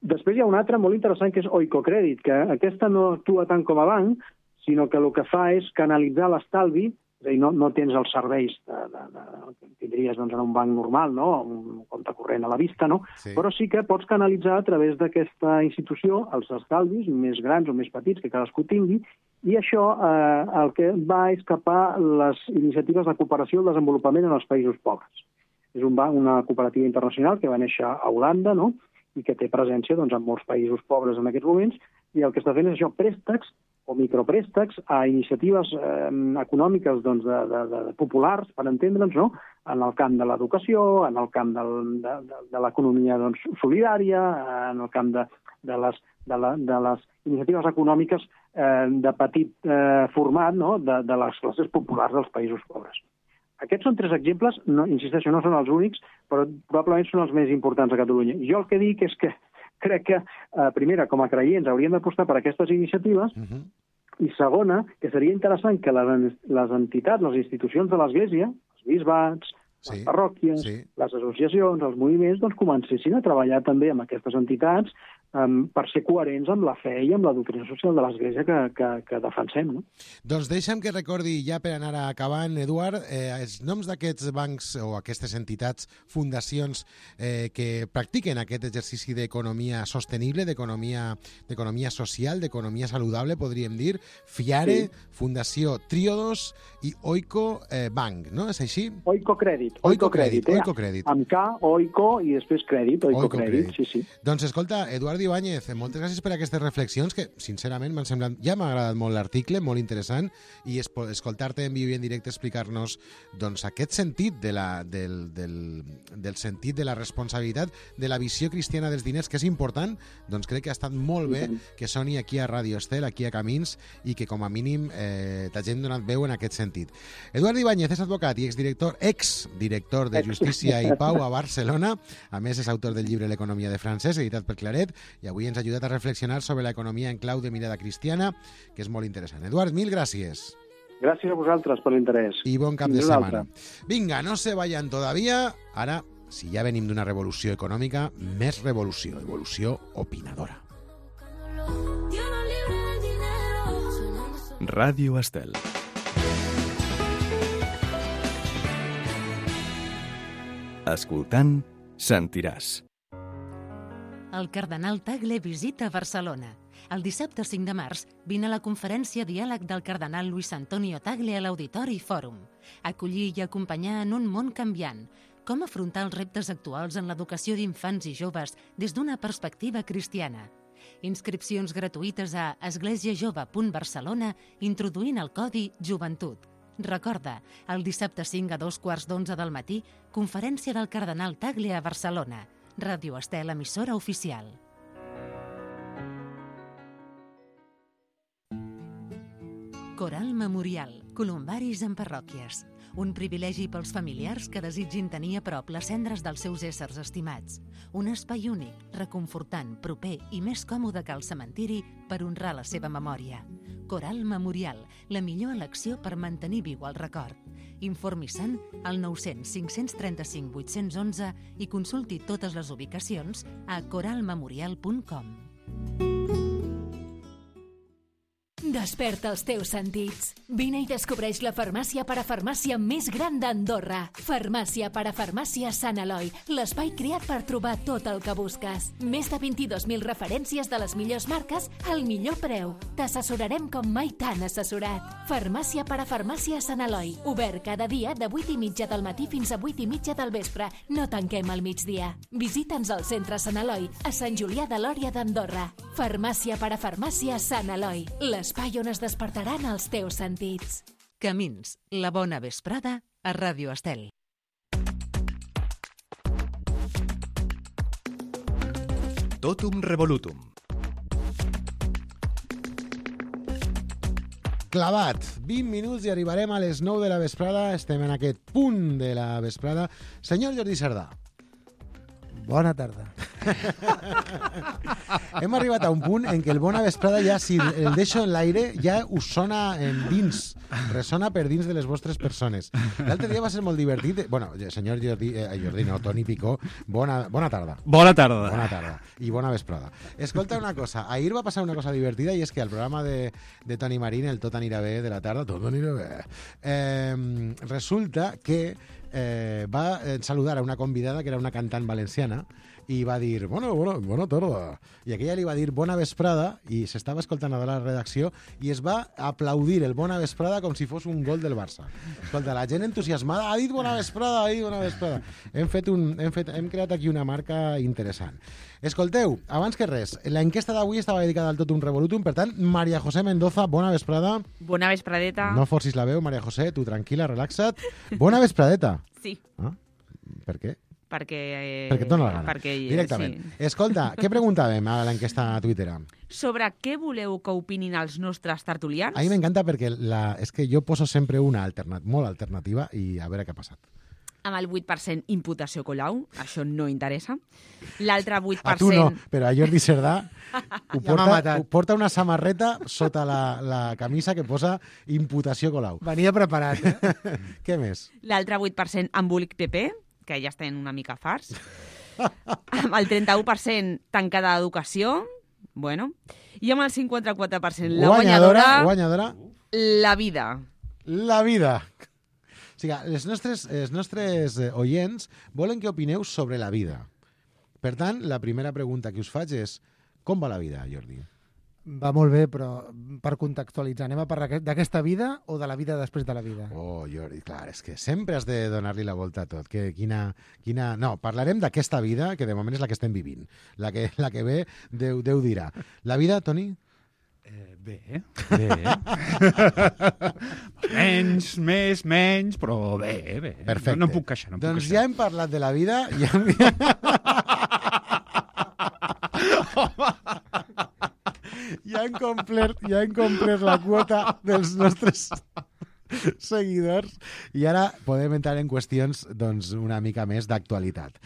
Després hi ha una altra molt interessant que és Oikocredit, que aquesta no actua tant com a banc, sinó que el que fa és canalitzar l'estalvi, és a dir, no, no tens els serveis de, de, de, que tindries doncs, en un banc normal, no? Un compte corrent a la vista, no? Sí. Però sí que pots canalitzar a través d'aquesta institució els estalvis més grans o més petits que cadascú tingui, i això eh, el que va és capar les iniciatives de cooperació i el desenvolupament en els països pobres. És un banc, una cooperativa internacional que va néixer a Holanda, no? I que té presència doncs, en molts països pobres en aquests moments, i el que està fent és això, préstecs o micropréstecs a iniciatives eh, econòmiques doncs, de, de, de populars, per entendre'ns, no? En el camp de l'educació, en el camp del, de, de, de l'economia doncs, solidària, en el camp de, de, les, de, la, de les iniciatives econòmiques eh, de petit eh, format, no? de, de les classes populars dels països pobres. Aquests són tres exemples, no, insisteixo, no són els únics, però probablement són els més importants a Catalunya. Jo el que dic és que crec que, eh, primera, com a creients, hauríem d'apostar per aquestes iniciatives, uh-huh. i segona, que seria interessant que les, les entitats, les institucions de l'Església, els bisbats, sí, les parròquies, sí. les associacions, els moviments, doncs comencessin a treballar també amb aquestes entitats um, per ser coherents amb la fe i amb la doctrina social de l'Església que, que, que defensem. No? Doncs deixa'm que recordi, ja per anar acabant, Eduard, eh, els noms d'aquests bancs o aquestes entitats, fundacions eh, que practiquen aquest exercici d'economia sostenible, d'economia d'economia social, d'economia saludable, podríem dir, FIARE, sí. Fundació Tríodos i Oiko eh, Bank, no? És així? Oiko Crèdit. Oiko Crèdit, eh? Oiko Crèdit. Amb K, Oiko i després Crèdit, Oiko, Oiko Crèdit, sí, sí. Doncs escolta, Eduard Ibáñez, moltes gràcies per aquestes reflexions que, sincerament, m'han semblat... Ja m'ha agradat molt l'article, molt interessant, i es, escoltar-te en viu i en directe explicar-nos doncs, aquest sentit de la, del, del, del sentit de la responsabilitat de la visió cristiana dels diners, que és important, doncs crec que ha estat molt bé que soni aquí a Ràdio Estel, aquí a Camins, i que com a mínim eh, t'hagin donat veu en aquest sentit. Eduard Ibáñez és advocat i exdirector, exdirector de Justícia i Pau a Barcelona, a més és autor del llibre L'economia de Francesc, editat per Claret, i avui ens ha ajudat a reflexionar sobre l'economia en clau de mirada cristiana, que és molt interessant. Eduard, mil gràcies. Gràcies a vosaltres per l'interès. I bon cap de setmana. Vinga, no se vayan todavía. Ara, si ja venim d'una revolució econòmica, més revolució, evolució opinadora. Ràdio Estel. Escoltant, sentiràs. El cardenal Tagle visita Barcelona. El dissabte cinc de març vine a la conferència Diàleg del cardenal Luis Antonio Tagle a l'Auditori Fòrum. Acollir i acompanyar en un món canviant. Com afrontar els reptes actuals en l'educació d'infants i joves des d'una perspectiva cristiana. Inscripcions gratuïtes a esglésiajove punt barcelona introduint el codi Joventut. Recorda, el dissabte cinc a dos quarts d'onze del matí, conferència del cardenal Tagle a Barcelona. Ràdio Estel, emissora oficial. Coral Memorial, columbaris en parròquies. Un privilegi pels familiars que desitgin tenir a prop les cendres dels seus éssers estimats. Un espai únic, reconfortant, proper i més còmode que el cementiri per honrar la seva memòria. Coral Memorial, la millor elecció per mantenir viu el record. Informi-se'n al nou cents cinc cents trenta-cinc vuit-cents onze i consulti totes les ubicacions a coral memorial punt com. Desperta els teus sentits. Vine i descobreix la farmàcia parafarmàcia més gran d'Andorra. Farmàcia parafarmàcia Sant Eloi, l'espai creat per trobar tot el que busques. Més de vint-i-dos mil referències de les millors marques al millor preu. T'assessorarem com mai t'han assessorat. Farmàcia parafarmàcia Sant Eloi, obert cada dia de vuit i mitja del matí fins a vuit i mitja del vespre. No tanquem al migdia. Visita'ns al centre Sant Eloi, a Sant Julià de Lòria d'Andorra. Farmàcia parafarmàcia Sant Eloi, l'espai on es despertaran els teus sentits. Camins, la bona vesprada a Ràdio Estel. Totum revolutum. Clavat, vint minuts i arribarem a les nou de la vesprada. Estem en aquest punt de la vesprada. Senyor Jordi Cerdà. Bona tarda. Hem arribat a un punt en què el bona vesprada ja, si el deixo en l'aire, ja us sona en dins, ressona per dins de les vostres persones. L'altre dia va ser molt divertit. Bueno, senyor Jordi, eh, Jordi no, Toni Picó, bona, bona tarda. Bona tarda. Bona tarda. I bona vesprada. Escolta una cosa, ahir va passar una cosa divertida i és que al programa de, de Toni Marín, el Tot anirà bé de la tarda, tot anirà bé, eh, resulta que eh, va saludar a una convidada que era una cantant valenciana i va dir, bueno, bueno, bona tarda. I aquella li va dir bona vesprada i s'estava escoltant a la redacció i es va aplaudir el bona vesprada com si fos un gol del Barça. Escolta, la gent entusiasmada ha dit bona vesprada, ha dit bona vesprada. Hem, fet un, hem, fet, hem creat aquí una marca interessant. Escolteu, abans que res, l'enquesta d'avui estava dedicada al Tot un Revolutum, per tant, Maria José Mendoza, bona vesprada. Bona vespradeta. No forcis la veu, Maria José, tu tranquil·la, relaxa't. Bona vespradeta. Sí. Ah? Per què? Perquè... Eh, perquè et dona la gana. Perquè, directament. Sí. Escolta, què preguntàvem a l'enquesta a Twitter? Sobre què voleu que opinin els nostres tertulians? A mi m'encanta perquè la, és que jo poso sempre una alternat, molt alternativa i a veure què ha passat. Amb el vuit per cent imputació Colau, això no interessa. L'altre vuit per cent... A tu no, però a Jordi Cerdà ho porta, ho porta una samarreta sota la, la camisa que posa imputació Colau. Venia preparat, eh? Què més? L'altre vuit per cent embolic P P, que ja estan una mica farts. Amb el trenta-u per cent tancada d'educació, bueno. I amb el cinquanta-quatre per cent la guanyadora, guanyadora, la vida. La vida. O sigui, els nostres, els nostres oients volen que opineu sobre la vida. Per tant, la primera pregunta que us faig és com va la vida, Jordi? Va molt bé, però per contextualitzar, anem a parlar d'aquesta vida o de la vida després de la vida? Oh, Jordi, clar, és que sempre has de donar-li la volta a tot. Que, quina, quina... No, parlarem d'aquesta vida, que de moment és la que estem vivint. La que, la que ve, Déu, Déu dirà. La vida, Toni? Eh, bé. Bé. menys, més, menys, però bé, bé. Perfecte. No, no em puc queixar. No em puc doncs queixar. ja hem parlat de la vida i hem... ja hem complert, ja hem complert la quota dels nostres seguidors i ara podem entrar en qüestions doncs, una mica més d'actualitat.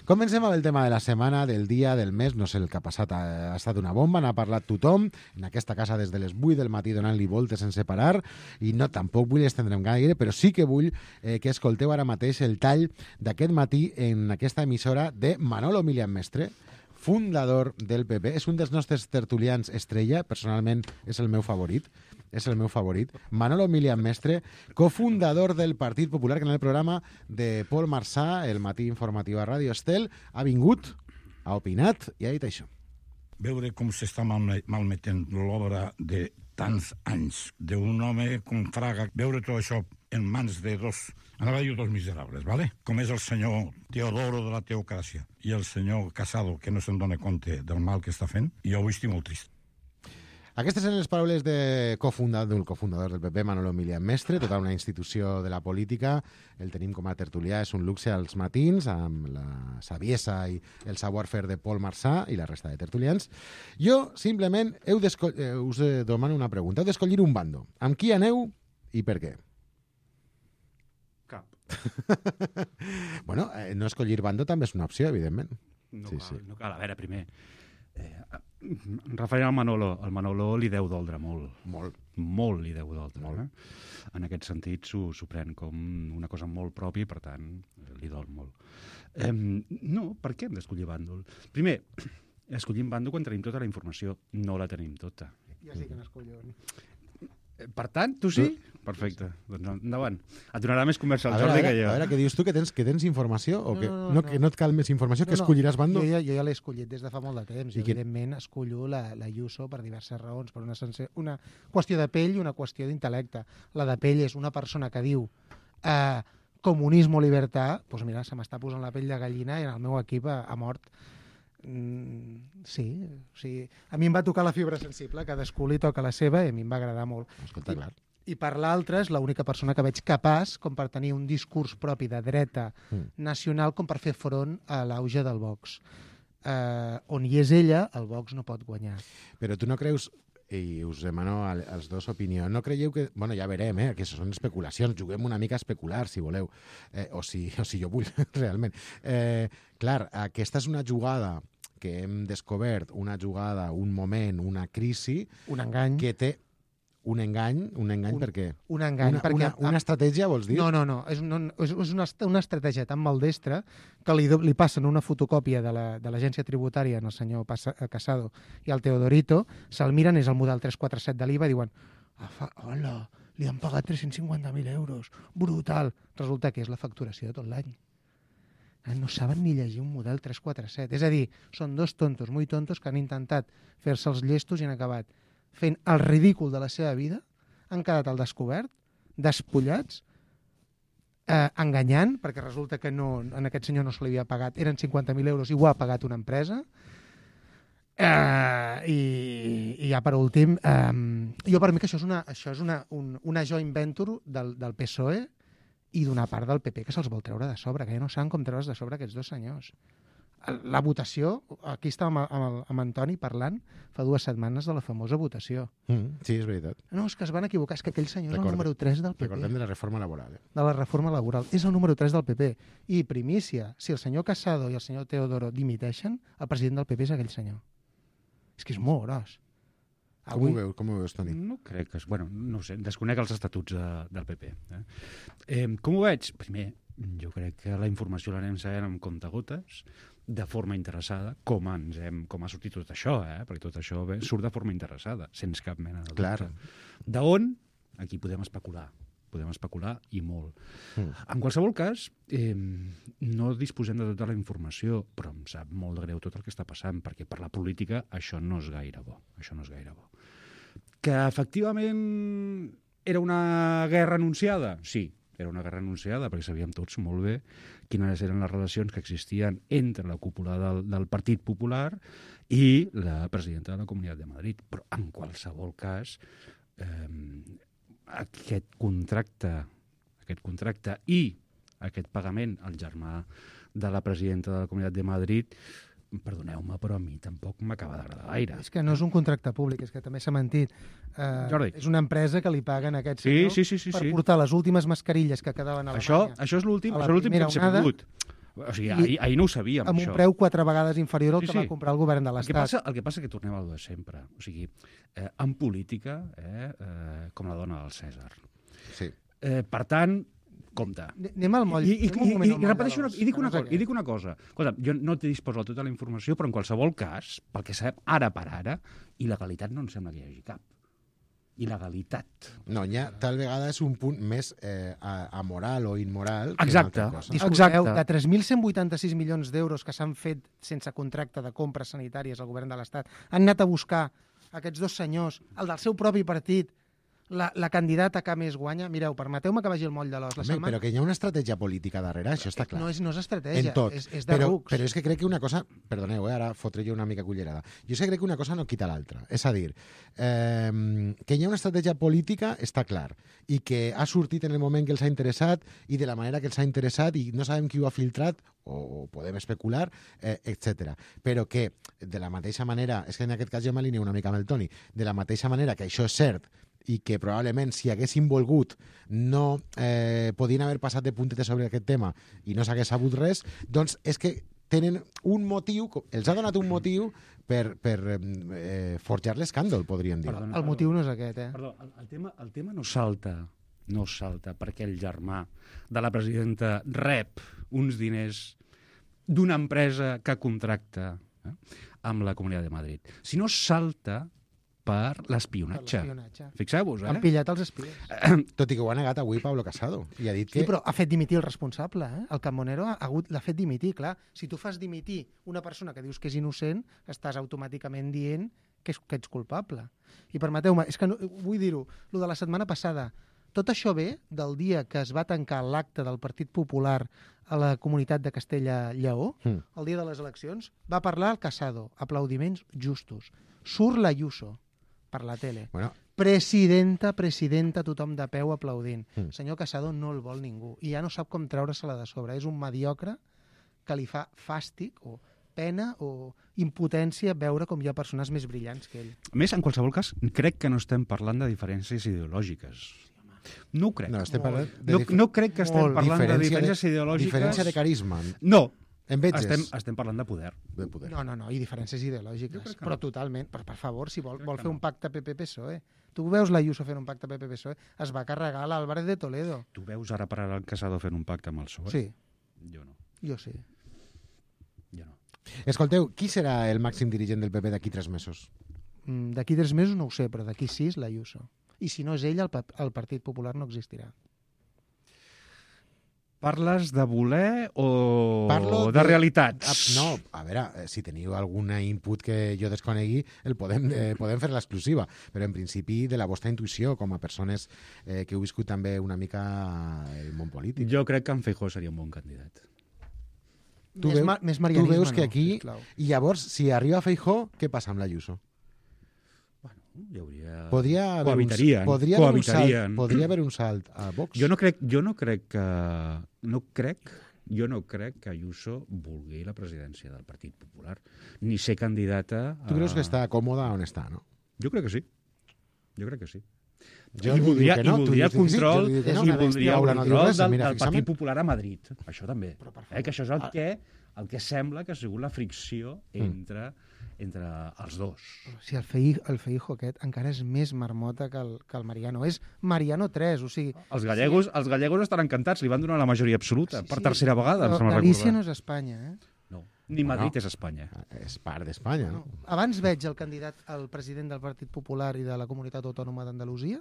Comencem amb el tema de la setmana, del dia, del mes, no sé el que ha passat, ha, ha estat una bomba, n'ha parlat tothom, en aquesta casa des de les vuit del matí donant-li voltes sense parar i no, tampoc vull estendre'm gaire, però sí que vull eh, que escolteu ara mateix el tall d'aquest matí en aquesta emissora de Manolo Milian Mestre, fundador del P P, és un dels nostres tertulians estrella, personalment és el meu favorit, és el meu favorit. Manolo Milian Mestre, cofundador del Partit Popular, que en el programa de Pol Marçà, el matí informatiu a Ràdio Estel, ha vingut, ha opinat i ha dit això. Veure com s'està malme malmetent l'obra de tants anys d'un home com Fraga, veure tot això en mans de dos, anava a dir dos miserables, ¿vale? Com és el senyor Teodoro de la Teocràcia i el senyor Casado, que no se'n dona compte del mal que està fent, i jo avui estic molt trist. Aquestes són les paraules de cofundador, del cofundador del P P, Manolo Milian Mestre, tota una institució de la política. El tenim com a tertulià, és un luxe als matins, amb la saviesa i el savoir-faire de Pol Marçà i la resta de tertulians. Jo, simplement, heu eh, us demano una pregunta. Heu d'escollir un bando. Amb qui aneu i per què? Cap. Bueno, eh, no escollir bando també és una opció, evidentment. No, sí, cal, sí. no cal. A veure, primer... Eh, referent al Manolo, el Manolo li deu doldre molt. Molt. Molt li deu doldre. Molt. Eh? En aquest sentit s'ho pren com una cosa molt pròpia i, per tant, li dol molt. Eh, no, per què hem d'escollir bàndol? Primer, escollim bàndol quan tenim tota la informació. No la tenim tota. Ja sí que n'escollo. Per tant, tu sí? Perfecte. Doncs endavant. Et donarà més conversa al a veure, Jordi a veure, que jo. A veure, què dius tu? Que tens, que tens informació? O No, que no, no, no, no. que no et cal més informació? Que No, no, escolliràs bando? Jo ja, jo ja l'he escollit des de fa molt de temps. I I, quin- evidentment, escollo la, la Ayuso per diverses raons, per una, sense... una qüestió de pell i una qüestió d'intel·lecte. La de pell és una persona que diu eh, comunismo, libertad, doncs mira, se m'està posant la pell de gallina i en el meu equip ha, ha mort. Mm, sí, o sigui, a mi em va tocar la fibra sensible, cadascú li toca la seva i a mi em va agradar molt. Escolta, clar. I per l'altra és l'única persona que veig capaç com per tenir un discurs propi de dreta Mm. nacional com per fer front a l'auge del Vox. Eh, on hi és ella, el Vox no pot guanyar. Però tu no creus, i us demano al- als dos opinió, no creieu que... Bueno, ja verem, eh, que això són especulacions, juguem una mica a especular, si voleu, eh, o, si, o si jo vull, realment. Eh, clar, aquesta és una jugada que hem descobert una jugada, un moment, una crisi... Un engany. Que té un engany, un engany un, per què? Un engany. Una, perquè, una, una estratègia, vols dir? No, no, no. És, no, és una, una estratègia tan maldestra que li, li passen una fotocòpia de l'agència la, tributària al senyor Casado i al Teodorito, se'l miren, és el model tres quatre set de l'I V A, i diuen, ah, hola, li han pagat tres-cents cinquanta mil euros, brutal. Resulta que és la facturació de tot l'any. No saben ni llegir un model tres quatre set. És a dir, són dos tontos, muy tontos, que han intentat fer-se els llestos i han acabat fent el ridícul de la seva vida, han quedat al descobert, despullats, eh, enganyant, perquè resulta que no, en aquest senyor no se li havia pagat, eren cinquanta mil euros i ho ha pagat una empresa, eh, i, i ja per últim, eh, jo per mi que això és una, això és una, un, una joint venture del, del P S O E i d'una part del P P que se'ls vol treure de sobre, que ja no saben com treure's de sobre aquests dos senyors. La votació, aquí estàvem amb, amb, amb Antoni parlant fa dues setmanes de la famosa votació. Mm, sí, és veritat. No, és que es van equivocar, és que aquell senyor Recorde, és el número tres del P P. Recordem de la reforma laboral. Eh? De la reforma laboral. És el número tres del P P. I primícia, si el senyor Casado i el senyor Teodoro dimiteixen, el president del P P és aquell senyor. És que és molt gros. Com ho veus, com ho veus, Toni? No crec que... Bueno, no ho sé, desconec els estatuts de, del P P. Eh? Eh, com ho veig? Primer, jo crec que la informació l'anem sabent amb comptagotes, de forma interessada, com ens hem, com ha sortit tot això, eh? Perquè tot això bé, surt de forma interessada, sense cap mena de dubte. D'on? Aquí podem especular, podem especular i molt. Mm. En qualsevol cas, eh, no disposem de tota la informació, però em sap molt de greu tot el que està passant, perquè per la política això no és gaire bo, això no és gaire bo. Que efectivament era una guerra anunciada? Sí, era una guerra anunciada, perquè sabíem tots molt bé quines eren les relacions que existien entre la cúpula del, del Partit Popular i la presidenta de la Comunitat de Madrid. Però en qualsevol cas, eh, aquest contracte, aquest contracte i aquest pagament al germà de la presidenta de la Comunitat de Madrid, perdoneu-me, però a mi tampoc m'acaba d'agradar gaire. És que no és un contracte públic, és que també s'ha mentit. Uh, Jordi. És una empresa que li paguen a aquest sí, senyor sí, sí, sí, per sí. portar les últimes mascarilles que quedaven a això, Alemanya. això és l'últim que hem sabut. O sigui, ahir, ahir no ho sabíem, amb això. un preu quatre vegades inferior al sí, que sí. va comprar el govern de l'Estat. El que passa, el que passa que tornem al de sempre. O sigui, eh, en política, eh, eh, com la dona del Cèsar. Sí. Eh, per tant, compte. Anem al moll. I, i, i, i, i, repeteixo una, i, dic una no sé cosa, i dic una cosa. Escolta, jo no t'he disposa tota la informació, però en qualsevol cas, pel que sabem ara per ara, il·legalitat no em sembla que hi hagi cap. Il·legalitat. No, ja tal vegada és un punt més eh, amoral o immoral que exacte, una altra cosa. Disculpeu, de tres mil cent vuitanta-sis milions d'euros que s'han fet sense contracte de compres sanitàries al govern de l'Estat, han anat a buscar aquests dos senyors, el del seu propi partit, la, la candidata que més guanya. Mireu, permeteu-me que vagi al moll de l'os. Home, setmana... Però que hi ha una estratègia política darrere, això està clar. No és, no és estratègia, en tot. és, és de però, rucs. Però és que crec que una cosa... Perdoneu, eh, ara fotré jo una mica cullerada. Jo és que crec que una cosa no quita l'altra. És a dir, eh, que hi ha una estratègia política està clar, i que ha sortit en el moment que els ha interessat i de la manera que els ha interessat i no sabem qui ho ha filtrat, o podem especular, eh, etcètera. Però que, de la mateixa manera, és que en aquest cas jo m'alineo una mica amb el Toni, de la mateixa manera que això és cert i que probablement si haguessin volgut no eh, podien haver passat de puntetes sobre aquest tema i no s'hagués sabut res, doncs és que tenen un motiu, els ha donat un motiu per, per eh, forjar l'escàndol, podríem dir. Perdona, el motiu no és aquest, eh? Perdó, el, el, tema, el tema no salta, no salta perquè el germà de la presidenta rep uns diners d'una empresa que contracta eh, amb la Comunitat de Madrid. Si no salta per l'espionatge. Fixeu-vos, eh? Han pillat els espies. Tot i que ho ha negat avui Pablo Casado. I ha dit que... Sí, però ha fet dimitir el responsable, eh? El Carbonero ha hagut, l'ha fet dimitir, clar. Si tu fas dimitir una persona que dius que és innocent, estàs automàticament dient que, és, que ets culpable. I permeteu-me, és que no, vull dir-ho, lo de la setmana passada, tot això ve del dia que es va tancar l'acte del Partit Popular a la comunitat de Castella-Lleó, mm. el dia de les eleccions, va parlar el Casado, aplaudiments justos. Surt l'Ayuso per la tele. Bueno. Presidenta, presidenta, tothom de peu aplaudint. Mm. Senyor Casado no el vol ningú i ja no sap com treure-se-la de sobre. És un mediocre que li fa fàstic o pena o impotència veure com hi ha persones més brillants que ell. A més, en qualsevol cas, crec que no estem parlant de diferències ideològiques. No ho crec. No, estem parlant de no, no crec que estem parlant de diferències ideològiques. Diferència de carisma. No. Enveges. Estem, estem parlant de poder. De poder. No, no, no, i diferències ideològiques, però no. totalment. Però, per favor, si vol, vol fer no. un pacte P P P S O E. Tu veus l'Ayuso fent un pacte P P P S O E? Es va carregar l'Álvarez de Toledo. Tu veus ara per ara el Casado fent un pacte amb el P S O E? Sí. Jo no. Jo sí. Jo no. Escolteu, qui serà el màxim dirigent del P P d'aquí tres mesos? Mm, D'aquí tres mesos no ho sé, però d'aquí sis l'Ayuso. I si no és ell, el, pa- el Partit Popular no existirà. Parles de voler o Parlo de, de realitats? Ah, no, a veure, eh, si teniu algun input que jo desconegui, el podem, eh, podem fer l'exclusiva, però en principi de la vostra intuïció com a persones eh, que heu viscut també una mica el món polític. Jo crec que en Feijóo seria un bon candidat. Tu més, veus, ma més tu marianisme veus que no, aquí... sisplau. I llavors, si arriba Feijóo, què passa amb l'Ayuso? Hi hauria... Podria haver cohabitarien, un, podria haver un cohabitarien. salt, podria haver un salt a Vox? Jo no crec, jo no crec que... No crec, jo no crec que Ayuso vulgui la presidència del Partit Popular, ni ser candidata a... Tu creus que està còmoda on està, no? Jo crec que sí. Jo crec que sí. Jo I li voldria, dic que no, i tu voldria dius que sí, control, jo li dic que i no. voldria Laura, el no diu control res, del, mira del fixament. Partit Popular a Madrid. Això també. Eh, que això és el que, el que sembla que ha sigut la fricció entre, entre els dos. Si el, Fei, el Feijo aquest encara és més marmota que el, que el Mariano. És Mariano tres, o sigui... Els gallegos, sí. els gallegos estan encantats, li van donar la majoria absoluta, sí, per tercera vegada, em sembla Galícia recordar. no és Espanya, eh? No, ni Madrid No. és Espanya. És part d'Espanya, no? Abans veig el candidat, el president del Partit Popular i de la Comunitat Autònoma d'Andalusia,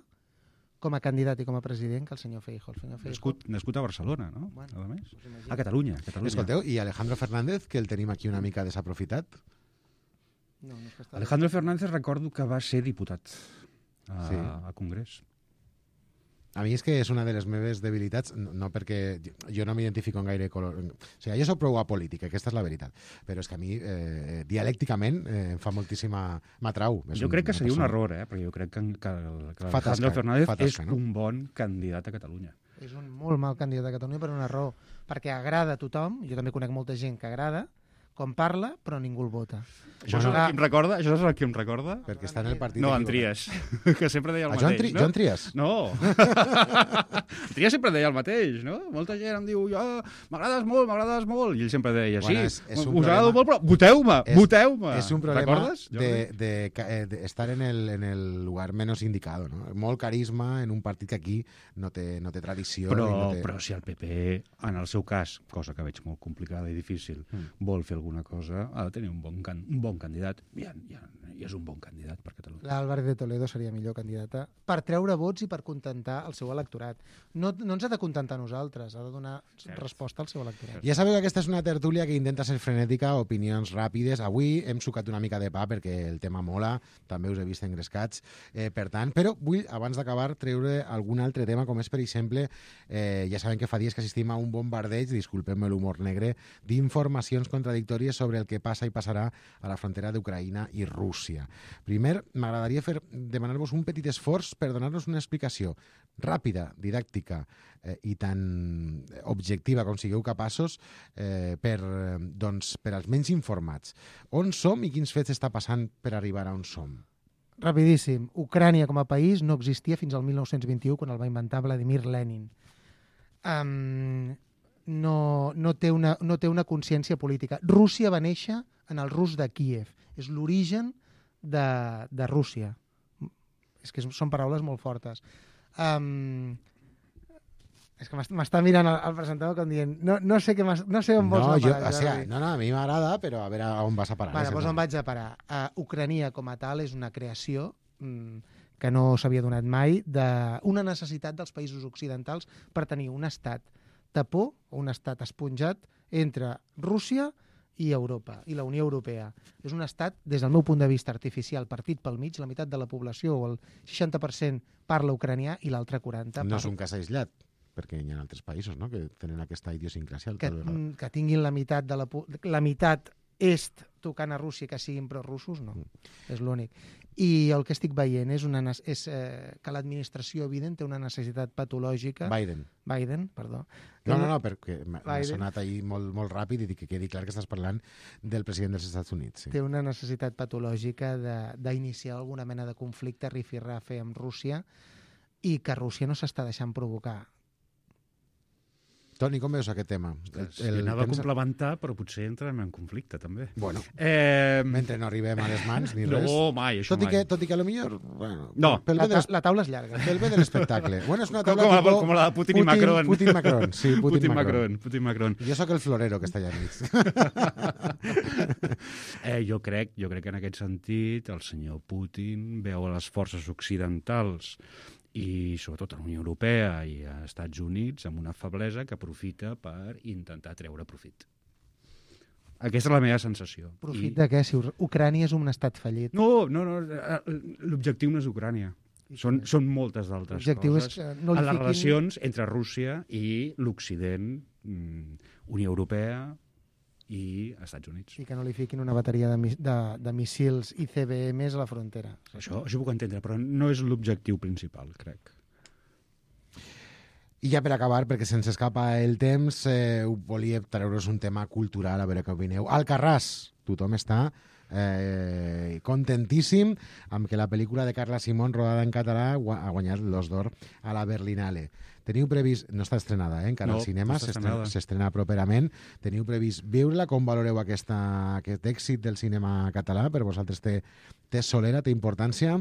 com a candidat i com a president, que el senyor Feijo. El senyor Feijo... Nascut, nascut a Barcelona, no? Bueno, a més. us imagino. A Catalunya, Catalunya. Escolteu, i Alejandro Fernández, que el tenim aquí una mica desaprofitat? No, no és que està... Alejandro Fernández recordo que va ser diputat a, Sí. a Congrés. A mi és que és una de les meves debilitats, no, no perquè jo no m'identifico en gaire color... O sigui, jo soc prou apolític, aquesta és la veritat. Però és que a mi, eh, dialècticament, eh, em fa moltíssima... M'atrau. Jo crec que seria un error, eh? Perquè jo crec que, que, que Fa Alejandro tasca, Fernández fa tasca, és no? un bon candidat a Catalunya. És un molt mal candidat a Catalunya per una raó. Perquè agrada a tothom, jo també conec molta gent que agrada, com parla, però ningú el vota. Això és el que em recorda? Això és el que em recorda? Perquè està en el partit... No, en equivocat. Trias, que sempre deia el A mateix. Joan, Tri no? Joan Trias? No. En Trias sempre deia el mateix, no? Molta gent em diu, jo, m'agrades molt, m'agrades molt, i ell sempre deia, sí, Bueno, és- és un us agrado problema- molt, però voteu-me, És- voteu-me. És un problema Recordes? de, de, de, de estar en el, en el lugar menos indicado, no? Molt carisma en un partit que aquí no té, no té tradició. Però, i no té... però si el P P, en el seu cas, cosa que veig molt complicada i difícil, Mm. vol fer alguna cosa, ha de tenir un bon, can, un bon candidat. I, i, I és un bon candidat per Catalunya. L'Álvarez de Toledo seria millor candidata per treure vots i per contentar el seu electorat. No, no ens ha de contentar a nosaltres, ha de donar Cert. resposta al seu electorat. Ja sabeu que aquesta és una tertúlia que intenta ser frenètica, opinions ràpides. Avui hem sucat una mica de pa perquè el tema mola, també us he vist engrescats. Eh, per tant, però vull, abans d'acabar, treure algun altre tema, com és, per exemple, eh, ja sabem que fa dies que assistim a un bombardeig, disculpem-me l'humor negre, d'informacions contradictòries sobre el que passa i passarà a la frontera d'Ucraïna i Rússia. Primer, m'agradaria fer demanar-vos un petit esforç per donar-nos una explicació ràpida, didàctica eh, i tan objectiva com sigueu capaços eh, per, eh, doncs, per als menys informats. On som i quins fets està passant per arribar a on som? Rapidíssim. Ucrània com a país no existia fins al mil nou-cents vint-i-u, quan el va inventar Vladimir Lenin. Um, no, no, té una, no té una consciència política. Rússia va néixer en el rus de Kíev. És l'origen de, de Rússia. És que són paraules molt fortes. Um, és que m'està mirant el, el presentador com dient no, no sé, què no sé on vols no, anar jo, a parar. O sigui, no, no, a mi m'agrada, però a veure on vas a parar. Vale, doncs on vaig a parar? Uh, Ucrania com a tal és una creació mm, que no s'havia donat mai, d'una necessitat dels països occidentals per tenir un estat tapó, un estat esponjat entre Rússia i Europa, i la Unió Europea. És un estat, des del meu punt de vista artificial, partit pel mig, la meitat de la població, o el seixanta per cent parla ucranià i l'altre quaranta per cent No és un cas aïllat, perquè hi ha altres països, no?, que tenen aquesta idiosincràsia. que, que tinguin la meitat de la, la meitat est tocant a Rússia que siguin prorussos, no. Mm. És l'únic. I el que estic veient és, una, és eh, que l'administració Biden té una necessitat patològica... Biden. Biden, perdó. No, no, no, perquè m'ha Biden. sonat ahir molt, molt ràpid i dic que quedi clar que estàs parlant del president dels Estats Units. Sí. Té una necessitat patològica d'iniciar alguna mena de conflicte rifirrafe amb Rússia i que Rússia no s'està deixant provocar. Toni, com veus aquest tema? El, el anava temps... a complementar, però potser entrem en conflicte, també. Bueno, eh... mentre no arribem a les mans ni res. No, mai, això tot mai. I que, tot i que a lo millor... Bueno, no. Pel la, bé de la taula és llarga. Pel bé de l'espectacle. Bueno, és una taula com, tipo... com la de Putin, Putin i Macron. Putin Macron, sí, Putin, Putin Macron. Macron. Putin Macron. Jo sóc el florero que està allà mig. eh, jo, crec, jo crec que en aquest sentit el senyor Putin veu a les forces occidentals i sobretot a la Unió Europea i a Estats Units amb una feblesa que aprofita per intentar treure profit. Aquesta és la meva sensació. Profit I... de què? Si Ucrània és un estat fallit. No, no, no. L'objectiu no és Ucrània. Són, són moltes d'altres coses. És no a les fiquin... relacions entre Rússia i l'Occident, Unió Europea i Estats Units. I que no li fiquin una bateria de, de, de missils I C B Ms a la frontera. Això, això ho puc entendre, però no és l'objectiu principal, crec. I ja per acabar, perquè se'ns escapa el temps, eh, volia treure's un tema cultural, a veure què opineu. Alcarràs, tothom està eh, contentíssim amb que la pel·lícula de Carla Simón, rodada en català, ha guanyat l'Os d'Or a la Berlinale. Teniu previst... No està estrenada, eh, encara no, al cinema, no s'estrena properament. Teniu previst veure-la? Com valoreu aquesta, aquest èxit del cinema català? Per vosaltres té, té solera, té importància?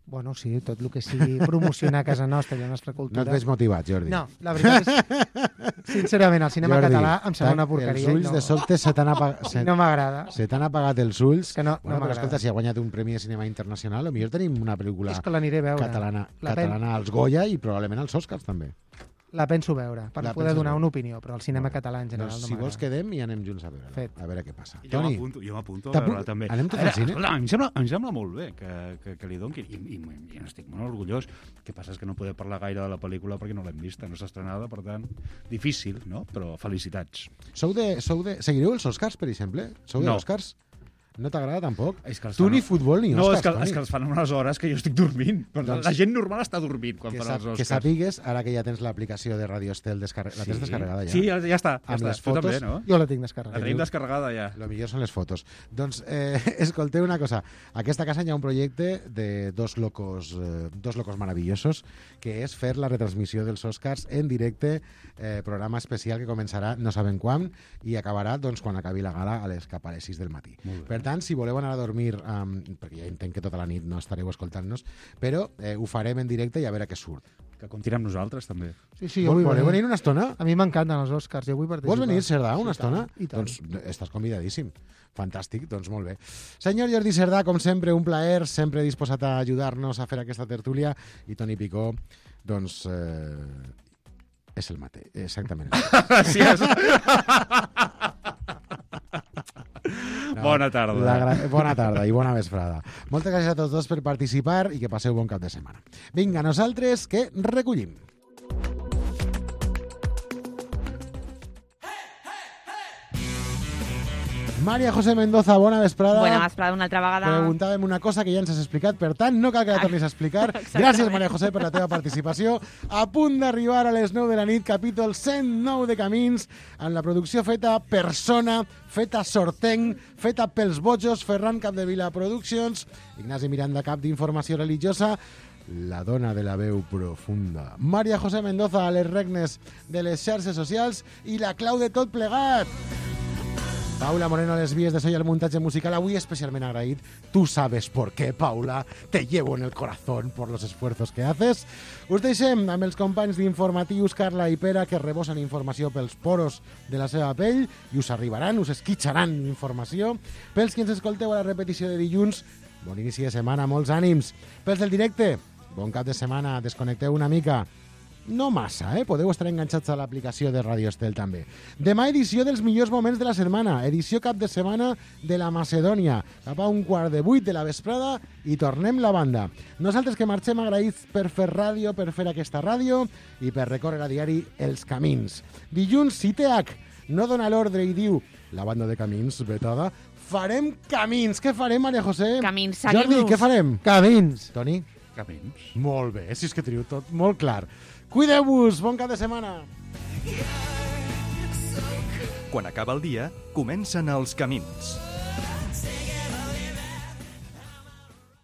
Bueno, sí, tot el que sigui promocionar a casa nostra i la nostra cultura... No et veig motivat, Jordi. No, la veritat és... Sincerament, el cinema Jordi, català em sembla una porqueria. Els ulls no, de sobte se t'han apagat... Se... No m'agrada. Se t'han apagat els ulls. Que no, bueno, no però escolta, si ha guanyat un premi de cinema internacional, potser tenim una pel·lícula catalana, catalana als Goya i probablement als Oscars, també. La penso veure, per la poder donar veure. una opinió, però el cinema bueno, català en general doncs, no si m'agrada. vols quedem i anem junts a veure Fet. a veure què passa. Jo Toni, m'apunto, jo m'apunto a veure també. Anem tots al cine? Escolta, em sembla, em sembla molt bé que, que, que li doni, i, i, i estic molt orgullós. El que passa és que no podem parlar gaire de la pel·lícula perquè no l'hem vista, no s'ha estrenada, per tant, difícil, no? Però felicitats. Sou de, sou de... Seguireu els Oscars, per exemple? Sou de No. Oscars? No t'agrada tampoc? És que els Tu fan- ni futbol ni No, Oscars, és que, Toni. és que els fan a unes hores que jo estic dormint. Doncs- la gent normal està dormint quan Que, fan sap, els Oscars. que sapigues, ara que ja tens l'aplicació de Radio Estel descarregada, la tens descarregada ja? Sí, ja, ja està. Ja Amb està. les Tu fotos? també, no? Jo la tinc descarregada. La tenim descarregada ja. Lo millor són les fotos. Doncs, eh, escolteu una cosa. A aquesta casa hi ha un projecte de dos locos, eh, dos locos maravillosos, que és fer la retransmissió dels Oscars en directe, eh, programa especial que començarà no sabem quan i acabarà doncs, quan acabi la gala a les, cap a les sis del matí. Per tant, si voleu anar a dormir, um, perquè ja entenc que tota la nit no estareu escoltant-nos, però eh, ho farem en directe i a veure què surt. Que comptin amb nosaltres, també. Sí, sí, jo vull Voleu venir una estona? A mi m'encanten els Oscars, jo vull participar. Vols venir, Cerdà, una Sí, estona? tant, i tant. Doncs estàs convidadíssim. Fantàstic, doncs molt bé. Senyor Jordi Cerdà, com sempre, un plaer, sempre disposat a ajudar-nos a fer aquesta tertúlia, i Toni Picó, doncs... Eh, és el mateix, exactament. Gràcies. No, Bona tarda. La gra... Bona tarda i bona vesprada. Moltes gràcies a tots dos per participar i que passeu bon cap de setmana. Vinga, nosaltres que recollim. María José Mendoza, bona vesprada. Bona vesprada una altra vegada. Preguntàvem una cosa que ja ens has explicat, per tant, no cal que la tornis a explicar. Gràcies, María José, per la teva participació. A punt d'arribar a les nou de la nit, capítol cent nou de Camins, amb la producció feta persona, feta sortenc, feta pels bojos, Ferran Capdevila Productions, Ignasi Miranda, cap d'Informació Religiosa, la dona de la veu profunda, María José Mendoza, a les regnes de les xarxes socials, i la clau de tot plegat, Paula Moreno a les vies de so i el muntatge musical. Avui especialment agraït. Tu sabes por qué, Paula. Te llevo en el corazón por los esfuerzos que haces. Us deixem amb els companys d'informatius Carla i Pere, que rebosen informació pels poros de la seva pell i us arribaran, us esquitxaran informació. Pels que ens escolteu a la repetició de dilluns, bon inici de setmana, molts ànims. Pels del directe, bon cap de setmana, desconnecteu una mica. No massa, eh? Podeu estar enganxats a l'aplicació de Radio Estel també. Demà edició dels millors moments de la setmana, edició cap de setmana de la Macedònia, cap a un quart de vuit de la vesprada i tornem la banda. Nosaltres que marxem agraïts per fer ràdio, per fer aquesta ràdio i per recórrer a diari els camins. Dilluns, si T H no dona l'ordre i diu la banda de camins vetada, farem camins. Què farem, Maria José? Camins, seguim-los. Jordi, què farem? Camins. Toni? Camins. Molt bé, si és que teniu tot molt clar. Cuideu-vos, bon cap de setmana. Quan acaba el dia, comencen els camins.